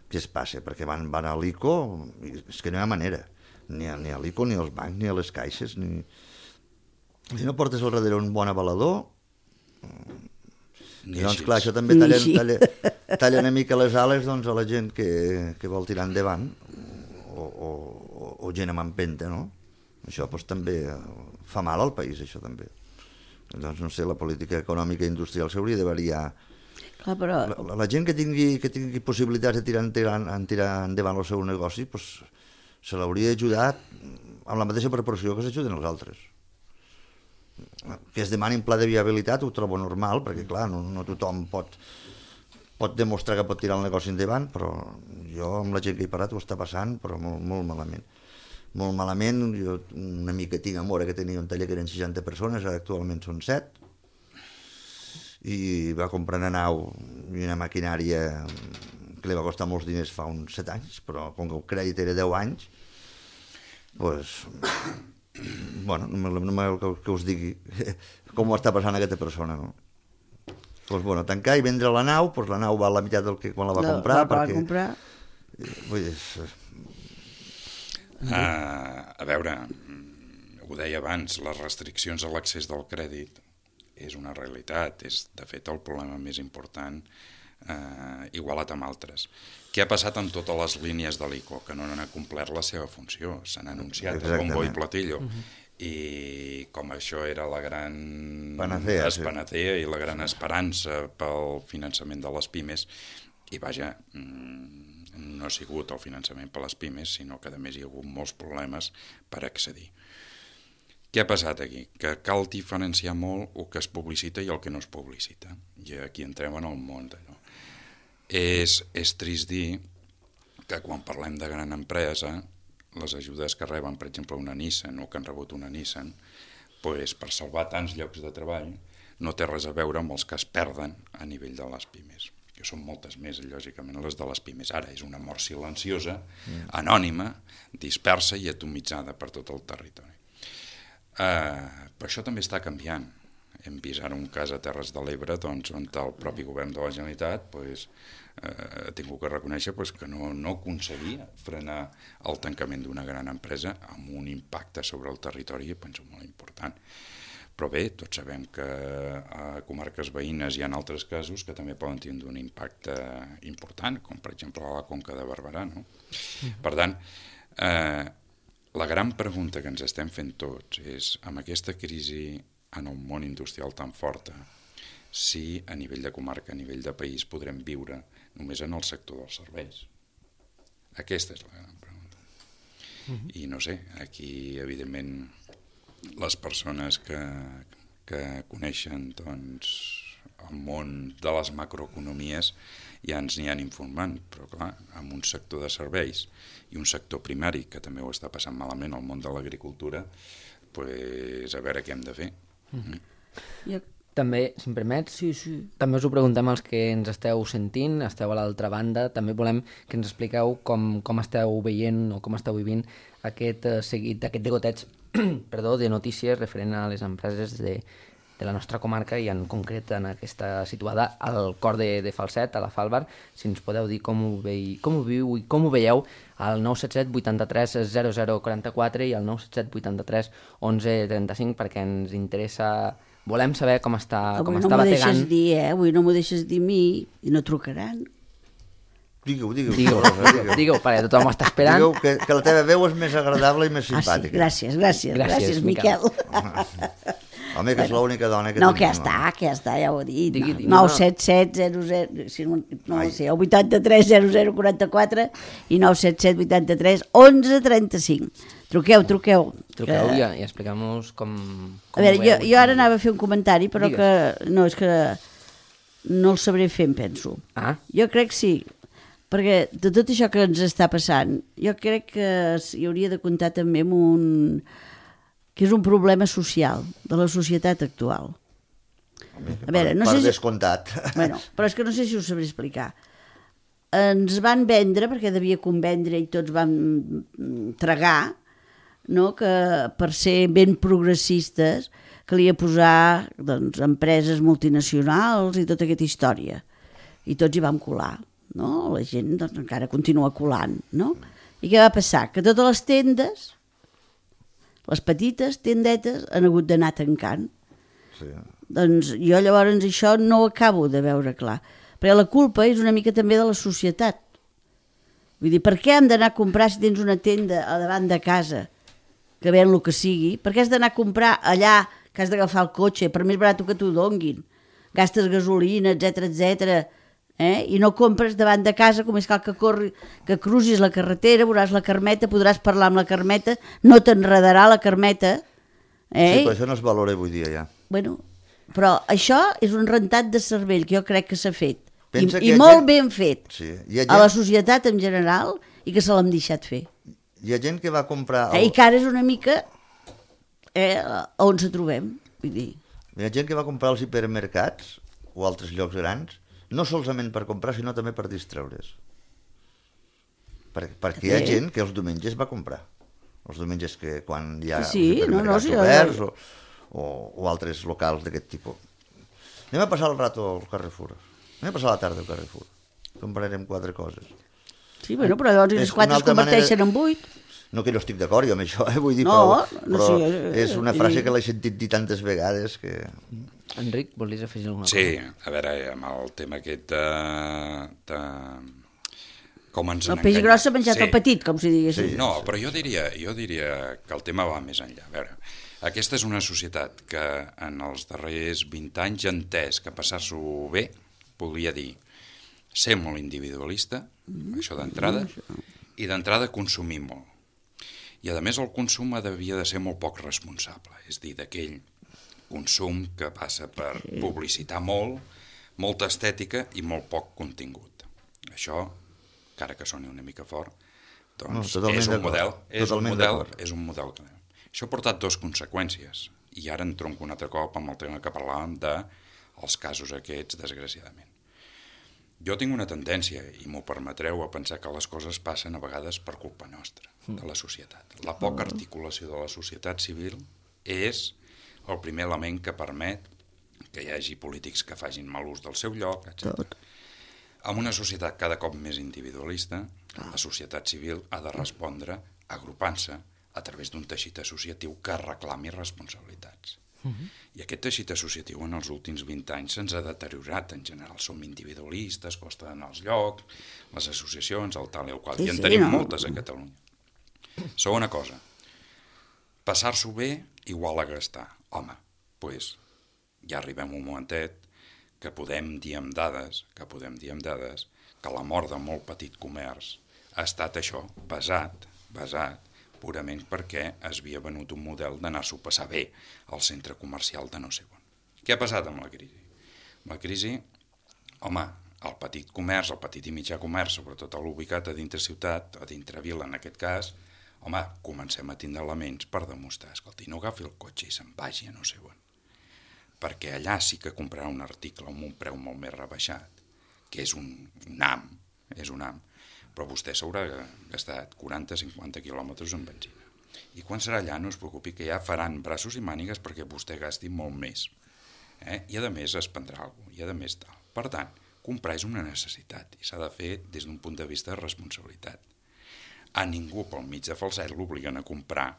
que es passa, perquè van, van a l'I C O i és que no hi ha manera. Ni a, ni a l'I C O, ni als bancs, ni a les caixes, ni... Si no portes al darrere un bon avalador, i doncs clar, això també talla, talla, talla una mica les ales doncs, a la gent que, que vol tirar endavant, o, o, o gent amb empenta, no? Això doncs, també fa mal al país, això també. Doncs no sé, la política econòmica i industrial s'hauria de variar. Clar, però... la, la gent que tingui, que tingui possibilitats de tirar, tirar, tirar endavant el seu negoci, doncs, se l'hauria ajudat amb la mateixa proporció que s'ajuden els altres. Que es demani un pla de viabilitat ho trobo normal, perquè clar, no, no tothom pot, pot demostrar que pot tirar el negoci endavant, però jo amb la gent que he parlat ho està passant, però molt, molt malament. Molt malament, jo una mica tinc amor que tenia un taller que eren seixanta persones, ara actualment són set, i va comprar una nau i una maquinària que li va costar molts diners fa uns set anys, però com que el crèdit era deu anys, doncs, bueno, no m'agrada que, que us digui com ho està passant aquesta persona, no? Doncs, bueno, tancar i vendre la nau, doncs la nau val la meitat del que quan la va No, comprar, la va perquè... comprar. Vull dir, és... Uh, a veure, ho deia abans, les restriccions a l'accés del crèdit és una realitat, és de fet el problema més important, uh, igualat amb altres. Què ha passat amb totes les línies de l'I C O? Que no han complert la seva funció, s'han anunciat el bombo i platillo, uh-huh. i com això era la gran panacea, sí. panacea i la gran esperança pel finançament de les pimes, i vaja, no ha sigut el finançament per les pimes, sinó que a més hi ha hagut molts problemes per accedir. Què ha passat aquí? Que cal diferenciar molt el que es publicita i el que no es publicita. I aquí entrem en el món d'allò. És, és trist dir que quan parlem de gran empresa, les ajudes que reben, per exemple, una Nissan o que han rebut una Nissan, pues, per salvar tants llocs de treball, no té res a veure amb els que es perden a nivell de les pimes. Que són moltes més, lògicament, les de les pimes. Ara és una mort silenciosa, mm. anònima, dispersa i atomitzada per tot el territori. Uh, però això també està canviant. Hem vist ara un cas a Terres de l'Ebre doncs, on el propi govern de la Generalitat pues, uh, ha tingut que reconèixer pues, que no, no aconseguia frenar el tancament d'una gran empresa amb un impacte sobre el territori, penso, molt important. Però bé, tots sabem que a comarques veïnes hi ha altres casos que també poden tindre un impacte important, com per exemple a la Conca de Barberà. No? Mm. Per tant, eh, la gran pregunta que ens estem fent tots és, amb aquesta crisi en el món industrial tan forta, si a nivell de comarca, a nivell de país, podrem viure només en el sector dels serveis. Aquesta és la gran pregunta. Mm-hmm. I no sé, aquí, evidentment, les persones que, que coneixen doncs, el món de les macroeconomies ja ens n'hi han informant, però clar, amb un sector de serveis i un sector primari que també ho està passant malament al món de l'agricultura, pues, a veure què hem de fer. Mm-hmm. Jo... També, si em permets, sí, sí. també us ho preguntem als que ens esteu sentint, esteu a l'altra banda, també volem que ens expliqueu com, com esteu veient o com esteu vivint aquest uh, seguit, aquest degoteig perdó, de notícies referent a les empreses de, de la nostra comarca i en concret en aquesta situada al cor de, de Falset, a la Falbar. Si ens podeu dir com ho, vei, com ho viu i com ho veieu al nou set set vuitanta-tres zero zero quaranta-quatre i al nou set set vuitanta-tres onze trenta-cinc perquè ens interessa, volem saber com està, com Avui està no m'ho bategant. deixes dir, eh? Avui no m'ho deixes dir a mi i no trucaran. Digueu, digueu. Digueu, digueu, digueu, perquè tothom ho està esperant. Digueu que, que la teva veu és més agradable i més simpàtica. Ah, sí, gràcies, gràcies, Gràcies, gràcies, Miquel. Miquel. Home, que és l'única dona que No, tenim, que ja està, que ja està, ja ho he dit. Digui, digui, nou no. set set zero zero, si no, no ho sé, el vuitanta-tres zero zero quaranta-quatre i nou set set vuitanta-tres onze trenta-cinc. Truqueu, truqueu. Truqueu que... i, i expliqueu-nos com, com A veure, ho jo, veieu. jo ara anava a fer un comentari, però Digues. que no, és que no el sabré fer, em penso. Ah, Jo crec que sí, perquè de tot això que ens està passant, jo crec que hi hauria de comptar també amb un... que és un problema social de la societat actual. A veure, no per sé si... descomptat. Bueno, però és que no sé si ho sabré explicar. Ens van vendre, perquè devia convendre i tots vam tragar, no? Que per ser ben progressistes calia posar doncs, empreses multinacionals i tota aquesta història. I tots hi vam colar. No? La gent doncs, encara continua colant. No? I què va passar? Que totes les tendes, les petites tendetes, han hagut d'anar tancant. Sí. Doncs jo llavors això no ho acabo de veure clar. Perquè la culpa és una mica també de la societat. Vull dir, per què hem d'anar a comprar si tens una tenda a davant de casa que ven el que sigui? Per què has d'anar a comprar allà que has d'agafar el cotxe, per més barat que t'ho donguin? Gastes gasolina, etcètera, etcètera. Eh? I no compres davant de casa, com és cal que, corri, que crucis la carretera, veuràs la Carmeta, podràs parlar amb la Carmeta, no t'enredarà la Carmeta. Eh? Sí, però això no es valora avui dia ja. Bueno, però això és un rentat de cervell que jo crec que s'ha fet. I, Pensa que i hi ha molt gent- ben fet. Sí. Hi ha A la gent, societat en general i que se l'hem deixat fer. hi ha gent que va comprar... Eh? El, I que ara és una mica eh, on se trobem. Vull dir, hi ha gent que va comprar als hipermercats o altres llocs grans, no solament per comprar, sinó també per distreure's. Per, perquè hi ha gent que els diumenges va comprar. Els diumenges que quan hi ha sí, no, no, sí, oberts o, o, o altres locals d'aquest tipus. Anem a passar el rato al Carrefour. Anem a passar la tarda al Carrefour. Comprarem quatre coses. Sí, bueno, però llavors les quatre es converteixen en vuit. No que no estic d'acord jo amb això, eh? Vull dir, no, però, no, però sí, és una frase que l'he sentit dir tantes vegades que... Enric, volies afegir alguna cosa? Sí, a veure, amb el tema aquest de... de... com ens el han peix enganyat. gros s'ha menjat Sí. el petit, com si digués. Sí, no, però jo diria, jo diria que el tema va més enllà. A veure, aquesta és una societat que en els darrers vint anys ha entès que passar-s'ho bé volia dir ser molt individualista, mm, això d'entrada, i d'entrada consumir molt. I a més el consum devia de ser molt poc responsable, és dir, d'aquell consum que passa per publicitar molt, molta estètica i molt poc contingut. Això, encara que soni una mica fort, doncs no, és un model, és un model, d'acord. és un model. Això ha portat dues conseqüències, i ara em tronco un altre cop amb el tema que parlàvem dels casos aquests, desgraciadament. Jo tinc una tendència, i m'ho permetreu, a pensar que les coses passen a vegades per culpa nostra, de la societat. La poca articulació de la societat civil és el primer element que permet que hi hagi polítics que facin mal ús del seu lloc, etcètera. En una societat cada cop més individualista, la societat civil ha de respondre agrupant-se a través d'un teixit associatiu que reclami responsabilitats. Uh-huh. I aquest teixit associatiu en els últims vint anys se'ns ha deteriorat en general. Som individualistes, costa d'anar als llocs, les associacions, el tal i el qual, sí, i en sí, tenim no? moltes a Catalunya. Segona cosa, passar-s'ho bé igual a gastar. Home, doncs ja arribem a un momentet que podem dir amb dades, que podem dir amb dades, que la mort de molt petit comerç ha estat això, basat, basat, purament perquè es havia venut un model d'anar-s'ho a passar bé al centre comercial de no sé on. Què ha passat amb la crisi? Amb la crisi, home, el petit comerç, el petit i mitjà comerç, sobretot l'ubicat a dintre ciutat, a dintre vila en aquest cas, home, comencem a tindre elements per demostrar, escolta, no agafi el cotxe i se'n vagi a no sé on. Perquè allà sí que comprarà un article amb un preu molt més rebaixat, que és un, un am, és un am, però vostè s'haurà gastat quaranta a cinquanta quilòmetres en benzina. I quan serà allà no es preocupi que ja faran braços i mànigues perquè vostè gasti molt més. Eh? I a més es prendrà alguna cosa, i a més tal. Per tant, comprar és una necessitat i s'ha de fer des d'un punt de vista de responsabilitat. A ningú pel mig de falset l'obliguen a comprar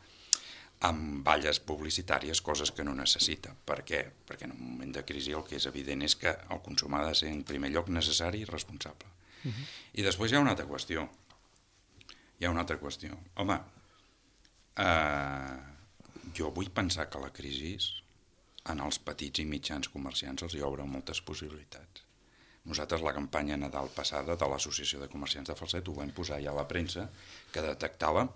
amb valles publicitàries coses que no necessita. Per què? Perquè en un moment de crisi el que és evident és que el consum ha de ser en primer lloc necessari i responsable. Uh-huh. I després hi ha una altra qüestió. Hi ha una altra qüestió. Home, eh, jo vull pensar que la crisi en els petits i mitjans comerciants els hi obre moltes possibilitats. Nosaltres la campanya Nadal passada de l'Associació de Comerciants de Falset ho vam posar ja a la premsa que detectava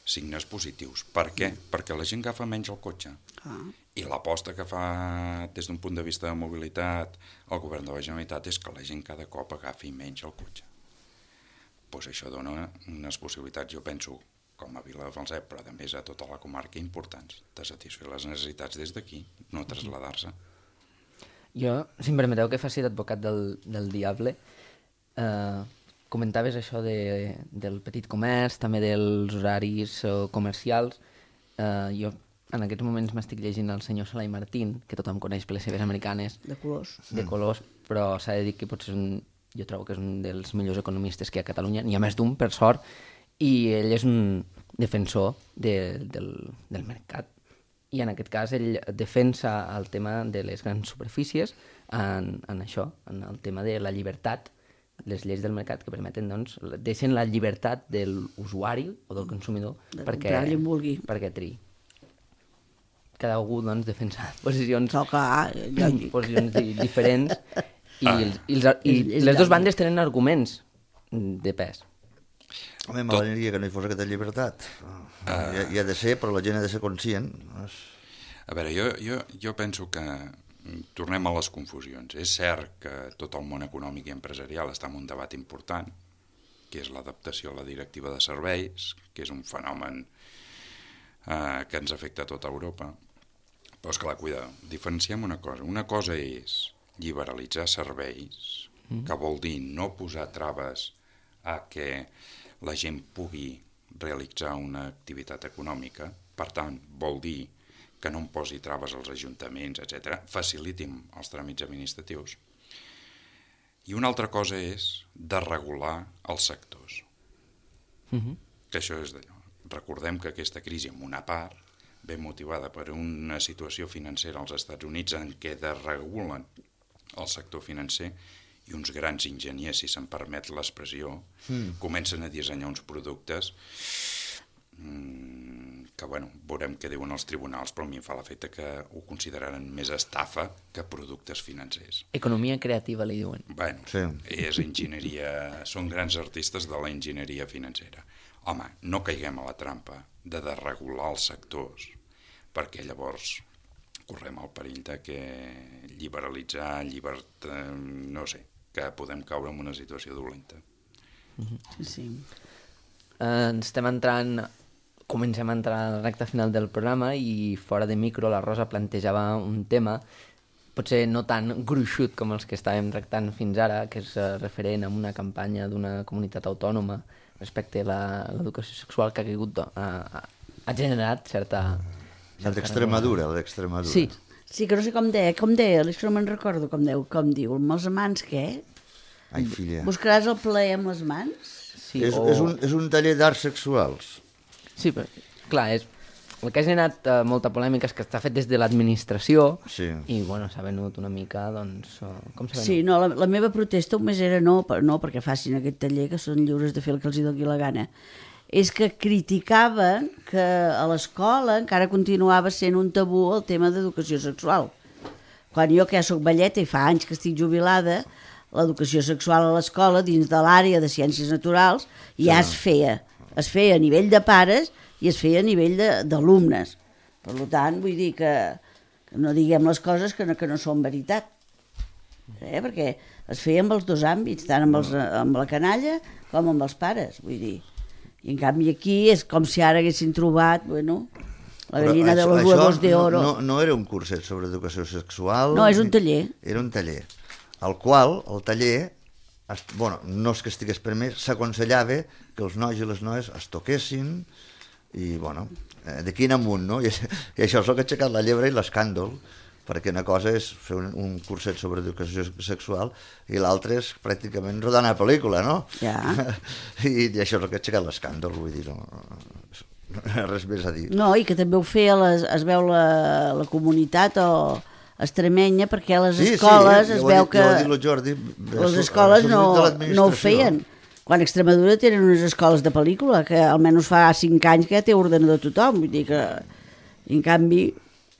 signes positius. Per què? Perquè la gent agafa menys el cotxe. Ah. I l'aposta que fa des d'un punt de vista de mobilitat el govern de la Generalitat és que la gent cada cop agafi menys el cotxe. Pues això dona unes possibilitats, jo penso, com a Vila de Falset, però a més a tota la comarca, importants, de satisfer les necessitats des d'aquí, no traslladar-se. Jo, si em permeteu que faci d'advocat del, del diable, eh, comentaves això de, del petit comerç, també dels horaris eh, comercials. Eh, jo en aquests moments m'estic llegint el senyor Salai Martín, que tothom coneix per les seves americanes. De colors. De colors, però s'ha de dir que potser és un, jo trobo que és un dels millors economistes que hi ha a Catalunya. N'hi ha més d'un, per sort, i ell és un defensor de, del, del mercat. I en aquest cas ell defensa el tema de les grans superfícies en, en això, en el tema de la llibertat, les lleis del mercat que permeten, doncs, deixen la llibertat de l'usuari o del consumidor de perquè, perquè triï. Cada algú, doncs, defensa posicions, no, clar, posicions di diferents i, ah. els, i, els, i, i les dues bandes tenen arguments de pes. Home, m'agradaria que no hi fos aquesta llibertat. Uh, hi, ha, hi ha de ser, però la gent ha de ser conscient. A veure, jo, jo, jo penso que tornem a les confusions. És cert que tot el món econòmic i empresarial està en un debat important, que és l'adaptació a la directiva de serveis, que és un fenomen eh, que ens afecta a tota Europa. Però, esclar, cuida, diferenciem una cosa. Una cosa és lliberalitzar serveis, mm. que vol dir no posar traves a que la gent pugui realitzar una activitat econòmica, per tant, vol dir que no em posi traves als ajuntaments, etcètera, facilitin els tràmits administratius. I una altra cosa és de regular els sectors. Mm-hmm. Que això és d'allò. Recordem que aquesta crisi, en una part, ve motivada per una situació financera als Estats Units en què desregulen el sector financer i uns grans enginyers, si se'n permet l'expressió, mm. comencen a dissenyar uns productes mmm, que, bueno, veurem què diuen els tribunals, però a mi em fa l'efecte que ho consideraran més estafa que productes financers. Economia creativa, li diuen. Bueno, sí. és enginyeria, són grans artistes de la enginyeria financera. Home, no caiguem a la trampa de desregular els sectors, perquè llavors correm el perill de que liberalitzar, llibertat, no sé, que podem caure en una situació dolenta. Sí, sí. Uh, estem entrant, comencem a entrar a la recta final del programa i fora de micro la Rosa plantejava un tema, potser no tan gruixut com els que estàvem tractant fins ara, que és uh, referent a una campanya d'una comunitat autònoma respecte a l'educació sexual que ha caigut, uh, ha generat certa... El d'Extremadura, el d'Extremadura. Sí. Sí, que no sé com deia, com deia, és que no me'n recordo com, deu, com diu, amb els amants què? Ai, filla. Buscaràs el plaer amb les mans? Sí, és, o... és, un, és un taller d'arts sexuals. Sí, però, clar, és... el que ha generat uh, molta polèmica és que està fet des de l'administració sí. i, bueno, s'ha venut una mica, doncs, uh, com s'ha venut? Sí, no, la, la meva protesta només era no, per, no perquè facin aquest taller, que són lliures de fer el que els hi doni la gana. És que criticaven que a l'escola encara continuava sent un tabú el tema d'educació sexual. Quan jo, que ja soc velleta i fa anys que estic jubilada, l'educació sexual a l'escola, dins de l'àrea de ciències naturals, ja es feia. Es feia a nivell de pares i es feia a nivell d'alumnes. Per tant, vull dir que, que no diguem les coses que no, que no són veritat. Eh? Perquè es feia amb els dos àmbits, tant amb, els, amb la canalla com amb els pares, vull dir. I en canvi aquí és com si ara haguessin trobat, bueno, la gallina de los huevos de oro. No, no era un curset sobre educació sexual. No, és un taller. Era un taller, al qual el taller, bueno, no és que estigués permès, s'aconsellava que els nois i les noies es toquessin i, bueno, d'aquí en amunt, no? I, i això és el que ha aixecat la llebre i l'escàndol, perquè una cosa és fer un, un curset sobre educació sexual i l'altra és pràcticament rodar una pel·lícula, no? Ja. I, i això és el que ha aixecat l'escàndol, vull dir, no, no, res més a dir. No, i que també ho feia, les, es veu la, la comunitat o extremenya, perquè a les sí, escoles sí, es ja veu dit, que ja dit Jordi, les escoles no, no ho feien. Quan a Extremadura tenen unes escoles de pel·lícula, que almenys fa cinc anys que ja té ordenador tothom, vull dir que, en canvi,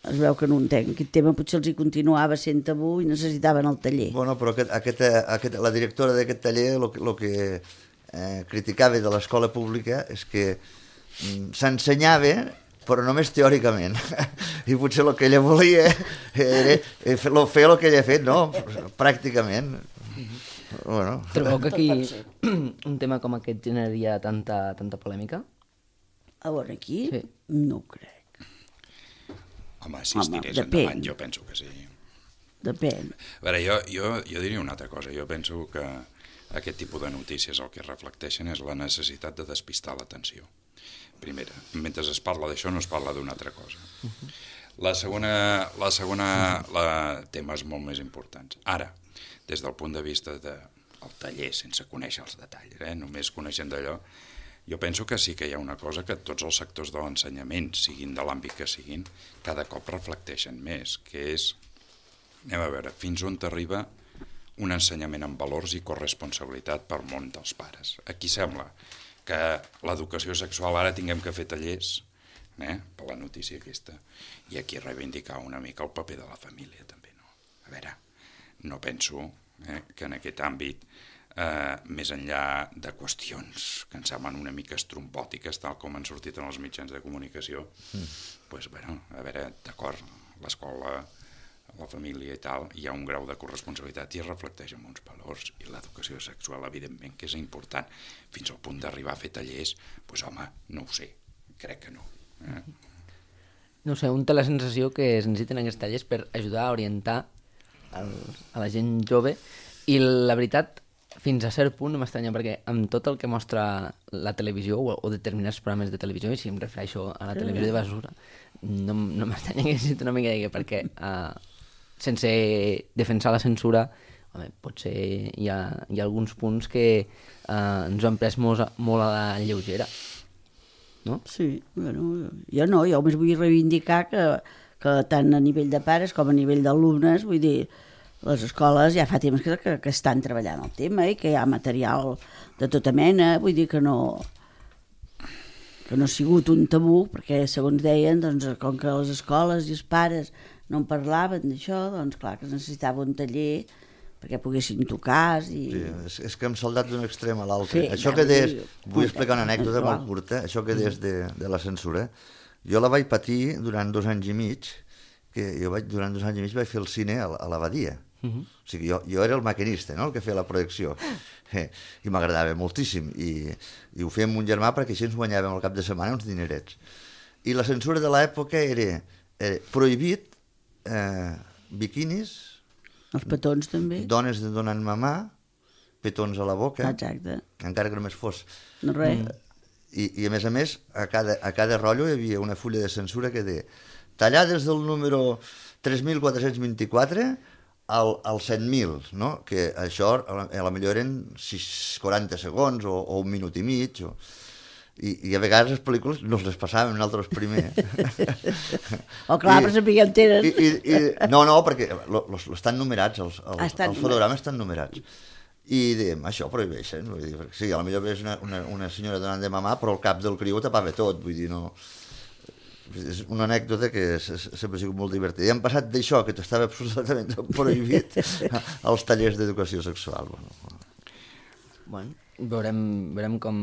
es veu que no entenc. Aquest tema potser els hi continuava sent tabú i necessitaven el taller. Bueno, però aquest, aquest, aquest, la directora d'aquest taller el que, lo que eh, criticava de l'escola pública és que mm, s'ensenyava, però només teòricament. I potser el que ella volia era fer el que ella ha fet, no? Pràcticament. Bueno. Trobeu que aquí un tema com aquest generaria tanta, tanta polèmica? A veure, aquí? Sí. No ho crec. Home, si es tirés depèn. endavant, jo penso que sí. Depèn. A veure, jo, jo, jo diria una altra cosa. Jo penso que aquest tipus de notícies el que reflecteixen és la necessitat de despistar l'atenció. Primera, mentre es parla d'això no es parla d'una altra cosa. Uh-huh. La segona, la segona la, temes molt més importants. Ara, des del punt de vista del de, taller, sense conèixer els detalls, eh? Només coneixent d'allò, jo penso que sí que hi ha una cosa que tots els sectors de l'ensenyament, siguin de l'àmbit que siguin, cada cop reflecteixen més, que és, anem a veure, fins on t'arriba un ensenyament amb valors i corresponsabilitat per món dels pares. Aquí sembla que l'educació sexual ara tinguem que fer tallers, eh, per la notícia aquesta, i aquí reivindicar una mica el paper de la família també, no? A veure, no penso eh, que en aquest àmbit Eh, més enllà de qüestions que ens semblen una mica estrombòtiques, tal com han sortit en els mitjans de comunicació, mm. pues, bueno, a veure, d'acord, l'escola, la família i tal, hi ha un grau de corresponsabilitat i es reflecteix en uns valors, i l'educació sexual, evidentment, que és important, fins al punt d'arribar a fer tallers, pues, home, no ho sé, crec que no. Eh? No sé, un té la sensació que es necessiten aquests tallers per ajudar a orientar al, a la gent jove, i la veritat, fins a cert punt no m'estranya, perquè amb tot el que mostra la televisió o, o determinats programes de televisió, i si em refereixo a la televisió de basura, no, no m'estranya que sigui una mica de perquè uh, sense defensar la censura, home, potser hi ha, hi ha alguns punts que uh, ens ho han pres molt, molt a la lleugera. No? Sí, bueno, jo no, jo només vull reivindicar que, que tant a nivell de pares com a nivell d'alumnes, vull dir, les escoles ja fa temps que, que, que estan treballant el tema i que hi ha material de tota mena, vull dir que no que no ha sigut un tabú, perquè segons deien, doncs, com que les escoles i els pares no en parlaven d'això, doncs clar que es necessitava un taller perquè poguessin tocar i... Sí, és, és que hem saltat d'un extrem a l'altre. Sí, això clar, que deies, vull vull dir, explicar una anècdota igual. molt curta, això que deies de, de la censura, jo la vaig patir durant dos anys i mig, que jo vaig, durant dos anys i mig vaig fer el cine a, a l'Abadia. Uh -huh. O sigui, jo, jo era el maquinista, no?, el que feia la projecció, eh, i m'agradava moltíssim, i, i ho feia amb un germà perquè així ens guanyàvem al cap de setmana uns dinerets. I la censura de l'època era, era prohibit eh, biquinis, Els petons també. dones de donant mamà, petons a la boca, Exacte. encara que només fos. No res. I, i a més a més, a cada, a cada rotllo hi havia una fulla de censura que deia tallar des del número tres mil quatre-cents vint-i-quatre al, al set mil, no? Que això a la, a la millor eren sis, quaranta segons o, o un minut i mig, o... I, i a vegades les pel·lícules no les passàvem nosaltres primer. O clar, però sapiguem tenen... I, i, i, no, no, perquè lo, lo, estan numerats, els, els, estan els fotogrames estan numerats. I dèiem, això prohibeixen. Vull dir, sí, potser és una, una, una senyora donant de mamà, però el cap del criu ho tapava tot, vull dir, no... És una anècdota que sempre ha sigut molt divertida. I hem passat d'això, que estava absolutament prohibit, als tallers d'educació sexual. Bueno, Bueno, veurem, veurem com,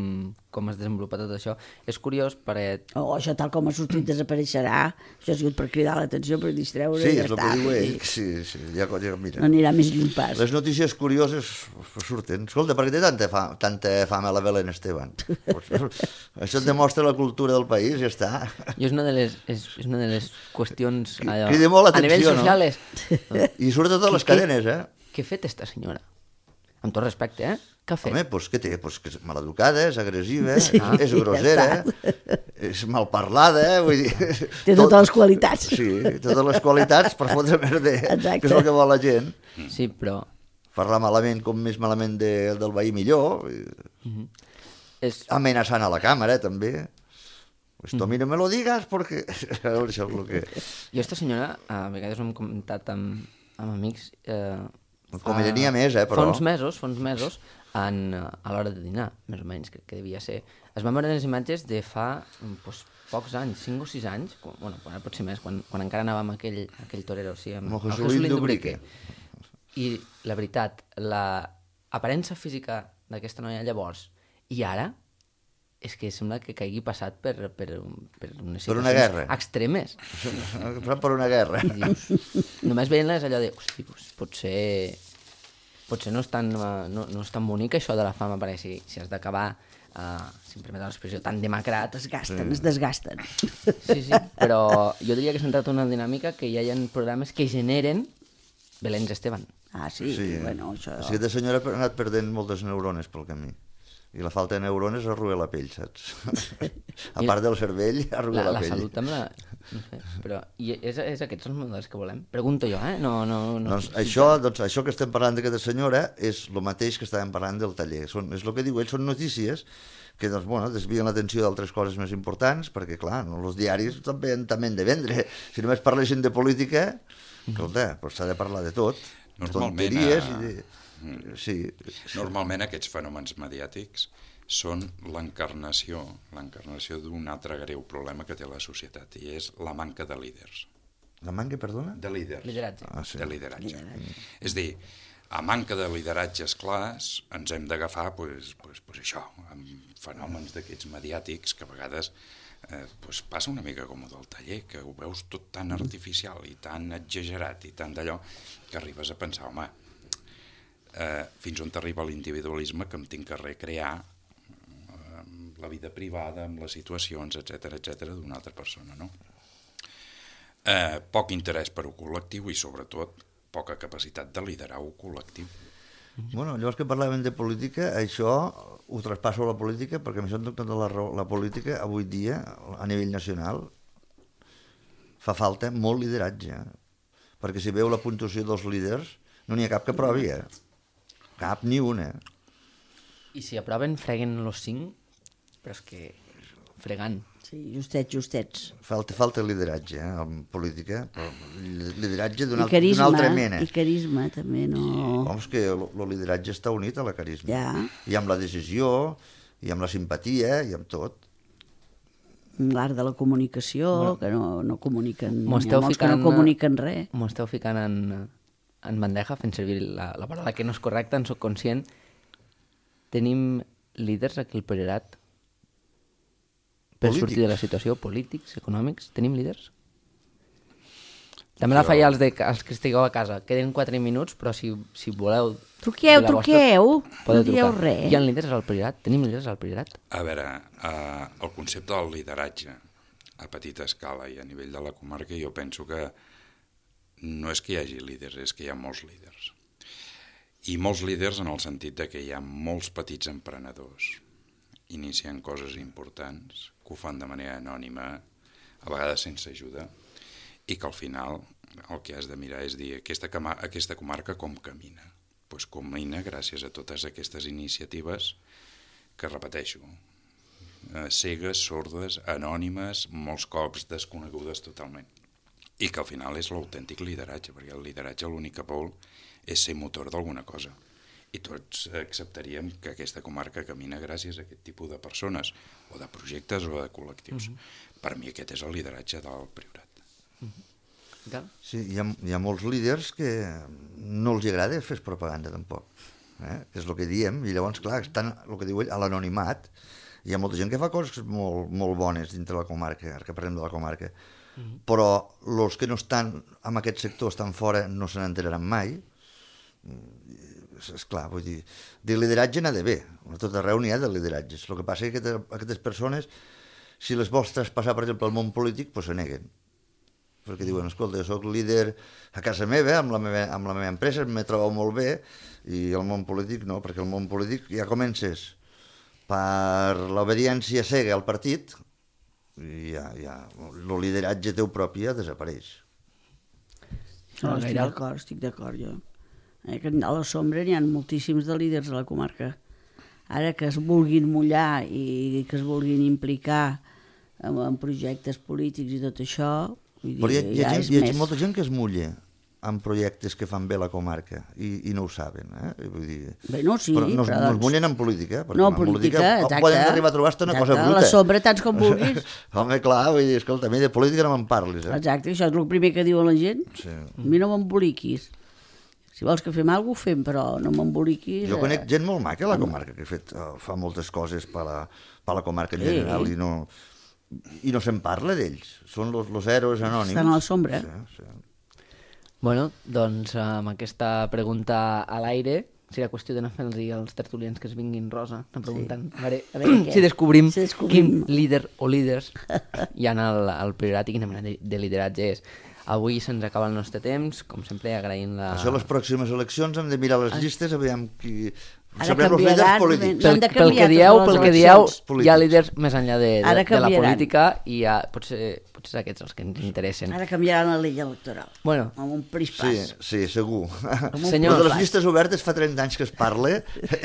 com es desenvolupa tot això. És curiós perquè... O oh, això tal com ha sortit desapareixerà, això ha sigut per cridar l'atenció, per distreure, sí, i ja és el està. que diu ell. Sí, sí, ja, ja, mira. No anirà més lluny pas. Les notícies curioses surten. Escolta, per què té tanta fam, tanta fama la Belén Esteban? Això et demostra la cultura del país, ja està. I és una de les, és, és una de les qüestions allò, Crida molt a nivell l'atenció, no? social és... I surt a totes les Què- cadenes, eh? Què ha fet esta senyora? Amb tot respecte, eh? Què ha fet? Home, doncs què té? Pues que és maleducada, és agressiva, Sí, és ja grossera, és malparlada, vull dir... Té totes les qualitats. Sí, totes les qualitats per fotre merder, Exacte. que és el que vol la gent. Sí, però... Parlar malament com més malament de, del veí millor, És... amenaçant a la càmera, també. Pues tu a mi no me lo digas, perquè... A veure, això és el que... Jo, esta senyora, a vegades ho hem comentat amb, amb amics... Eh, Com hi tenia més, eh, però... Fa uns mesos, fa uns mesos, en, a l'hora de dinar, més o menys, crec que devia ser. Es van veure les imatges de fa doncs, pocs anys, cinc o sis anys, quan, bueno, quan pot ser més, quan, quan encara anàvem a aquell, a aquell torero, sí, amb, Amb el amb Jesulín Dubrique. I la veritat, l'aparença física d'aquesta noia llavors i ara, és que sembla que caigui passat per, per, per unes Per una situacions guerra. extremes. Però per una guerra. I dius, només veient-les allò de, hosti, doncs, potser, potser no és, tan, eh, no, no és tan bonic això de la fama, perquè si, si has d'acabar, uh, si em permet l'expressió, tan demacrat... Desgasten, es desgasten. Sí, sí, però jo diria que s'ha entrat una dinàmica que ja hi ha programes que generen Belén Esteban. Ah, sí, Sí, bueno, això... sí, aquesta senyora ha anat perdent moltes neurones pel camí. I la falta de neurones arruga la pell, saps? A part del cervell, arruga La, la, la pell. salut amb la... No sé, però i és, és aquests els models que volem? Pregunto jo, eh? No, no, no. Doncs això, doncs això que estem parlant d'aquesta senyora és el mateix que estàvem parlant del taller. Són, és el que diu ell, són notícies que doncs, bueno, desvien l'atenció d'altres coses més importants, perquè, clar, no, els diaris també, també han de vendre. Si només parlessin de política, escolta, doncs s'ha de parlar de tot. Normalment, Tonteries a- i de... Sí, sí. Normalment aquests fenòmens mediàtics són l'encarnació, l'encarnació d'un altre greu problema que té la societat, i és la manca de líders. La manca, perdona? De líders. Lideratge. Ah, sí. De lideratge. És a dir, a manca de lideratges clars ens hem d'agafar pues, pues, pues això, amb fenòmens d'aquests mediàtics que a vegades eh, pues passa una mica com el del taller, que ho veus tot tan artificial i tan exagerat i tan d'allò que arribes a pensar, home, eh, fins on t'arriba l'individualisme que em tinc que recrear eh, amb la vida privada, amb les situacions, etcètera, etcètera, d'una altra persona, no? Eh, poc interès per un col·lectiu i sobretot poca capacitat de liderar un col·lectiu. Bueno, llavors que parlàvem de política, això ho traspasso a la política, perquè m'he donat compte de la, raó. La política avui dia, a nivell nacional, fa falta molt lideratge, perquè si veu la puntuació dels líders, no n'hi ha cap que aprovi, eh? Cap ni una. I si aproven, freguen los cinc, però és que fregant. Sí, justets, justets. Falta, falta lideratge, eh, en política, però lideratge d'una I altra mena. I carisma, també, no... Home, és que el lideratge està unit a la carisma. Ja. I amb la decisió, i amb la simpatia, i amb tot. L'art de la comunicació, no. que no, no comuniquen... M'ho Hi ha esteu molts ficant, que no comuniquen res. M'ho esteu ficant en, en bandeja, fent servir la, la paraula que no és correcta, en soc conscient. Tenim líders aquí al Priorat per Polítics. sortir de la situació, polítics, econòmics, tenim líders? També la faia als, de, als que estigueu a casa. Queden quatre minuts, però si, si voleu... Truqueu, dir la vostra, truqueu, podeu no dieu trucar. res. Hi ha líders al Priorat? Tenim líders al Priorat? A veure, eh, el concepte del lideratge a petita escala i a nivell de la comarca, jo penso que no és que hi hagi líders, és que hi ha molts líders. I molts líders en el sentit de que hi ha molts petits emprenedors iniciant coses importants, que ho fan de manera anònima, a vegades sense ajuda, i que al final el que has de mirar és dir aquesta, aquesta comarca com camina. Doncs camina gràcies a totes aquestes iniciatives que, repeteixo, eh, cegues, sordes, anònimes, molts cops desconegudes totalment. I que al final és l'autèntic lideratge, perquè el lideratge l'únic que vol és ser motor d'alguna cosa. I tots acceptaríem que aquesta comarca camina gràcies a aquest tipus de persones, o de projectes o de col·lectius. Uh-huh. Per mi aquest és el lideratge del Priorat. Uh-huh. Sí, hi ha, hi ha molts líders que no els agrada fer propaganda tampoc, eh? És el que diem, i llavors, clar, estan, el que diu ell, a l'anonimat. Hi ha molta gent que fa coses molt, molt bones dintre la comarca, ara que parlem de la comarca, uh-huh. Però els que no estan en aquest sector, estan fora, no se n'enteraran mai. És clar, vull dir, de lideratge n'ha d'haver, a tot arreu n'hi ha de lideratges. El que passa és que aquestes, aquestes persones, si les vols traspassar, per exemple, al món polític, doncs se neguen. Perquè diuen, escolta, jo soc líder a casa meva, amb la meva, amb la meva empresa, me trobo molt bé, i el món polític no, perquè el món polític ja comences per l'obediència cega al partit, i ja, ja, el lideratge teu propi ja desapareix. No, estic d'acord, estic d'acord, jo. Eh, que a la sombra n'hi ha moltíssims de líders a la comarca. Ara que es vulguin mullar i que es vulguin implicar en, en projectes polítics i tot això, vull dir, però hi ha, hi ha, ja gent, és hi ha més... molta gent que es mulla en projectes que fan bé la comarca i, i no ho saben, eh? Vull dir, Bé, no, sí, però no, però no doncs... es mullen en política, perquè No, en política, política exacte. poden arribar a trobar-te una exacte, cosa bruta. A la sombra, tants com vulguis. Home, clar, vull dir, escolta, a mi de política no me'n parlis, eh? Exacte, això és el primer que diuen la gent. Sí. A mi no m'emboliquis. Si vols que fem alguna cosa, ho fem, però no m'emboliquis. Jo conec eh... gent molt maca a la comarca, que ha fet, uh, fa moltes coses per la, per la comarca en general, Sí. i no, i no se'n parla d'ells. Són los, los héroes anònims. Estan a la sombra. Sí, sí. Bueno, doncs amb aquesta pregunta a l'aire, seria qüestió d'anar fent-los als tertulians que es vinguin, Rosa, anar preguntant. Sí. A veure, A veure què? si descobrim, Si descobrim. quin líder o líders hi ha al, al Priorat i quina mena de, de lideratge és. Avui se'ns acaba el nostre temps, com sempre agraïm la... Això a les pròximes eleccions hem de mirar les llistes a veure qui... Ara Sabrem els canviaran, líders polítics. no Pel, han de pel que canviar dieu, totes pel les que dieu, eleccions. hi ha líders més enllà de, de, Ara de la canviaran. política i hi ha, potser, potser aquests els que ens interessen. Ara canviaran la llei electoral. Bueno, Amb un Sí, prispàs. sí, segur. un Senyor. Però de les llistes obertes fa trenta anys que es parla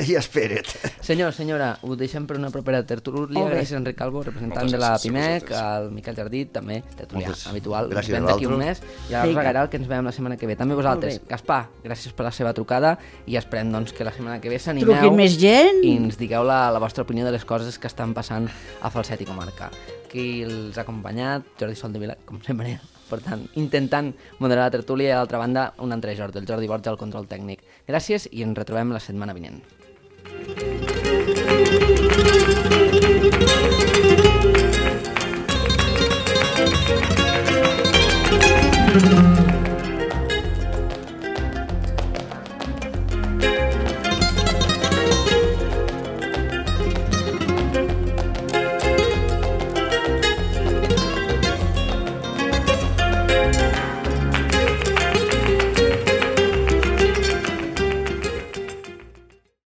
i espera't. senyor, senyora, ho deixem per una propera tertúlia. Molt bé. Gràcies, Enric Calvo, representant Moltes de la gràcies a PIMEC, vosaltres. el Miquel Jardí, també tertulià Moltes habitual. gràcies Ven a d'aquí un mes vosaltres. i a la Vinga. Rosa Garal, que ens veiem la setmana que ve. També vosaltres. Molt bé. Gaspar, gràcies per la seva trucada i esperem doncs, que la setmana que ve s'animeu Truquin més gent. i ens digueu la, la vostra opinió de les coses que estan passant a Falset i comarca. Qui els ha acompanyat, Jordi Soldevila, com sempre, per tant, intentant moderar la tertúlia i, a l'altra banda, un altre Jordi, el Jordi Borja, al control tècnic. Gràcies i ens retrobem la setmana vinent.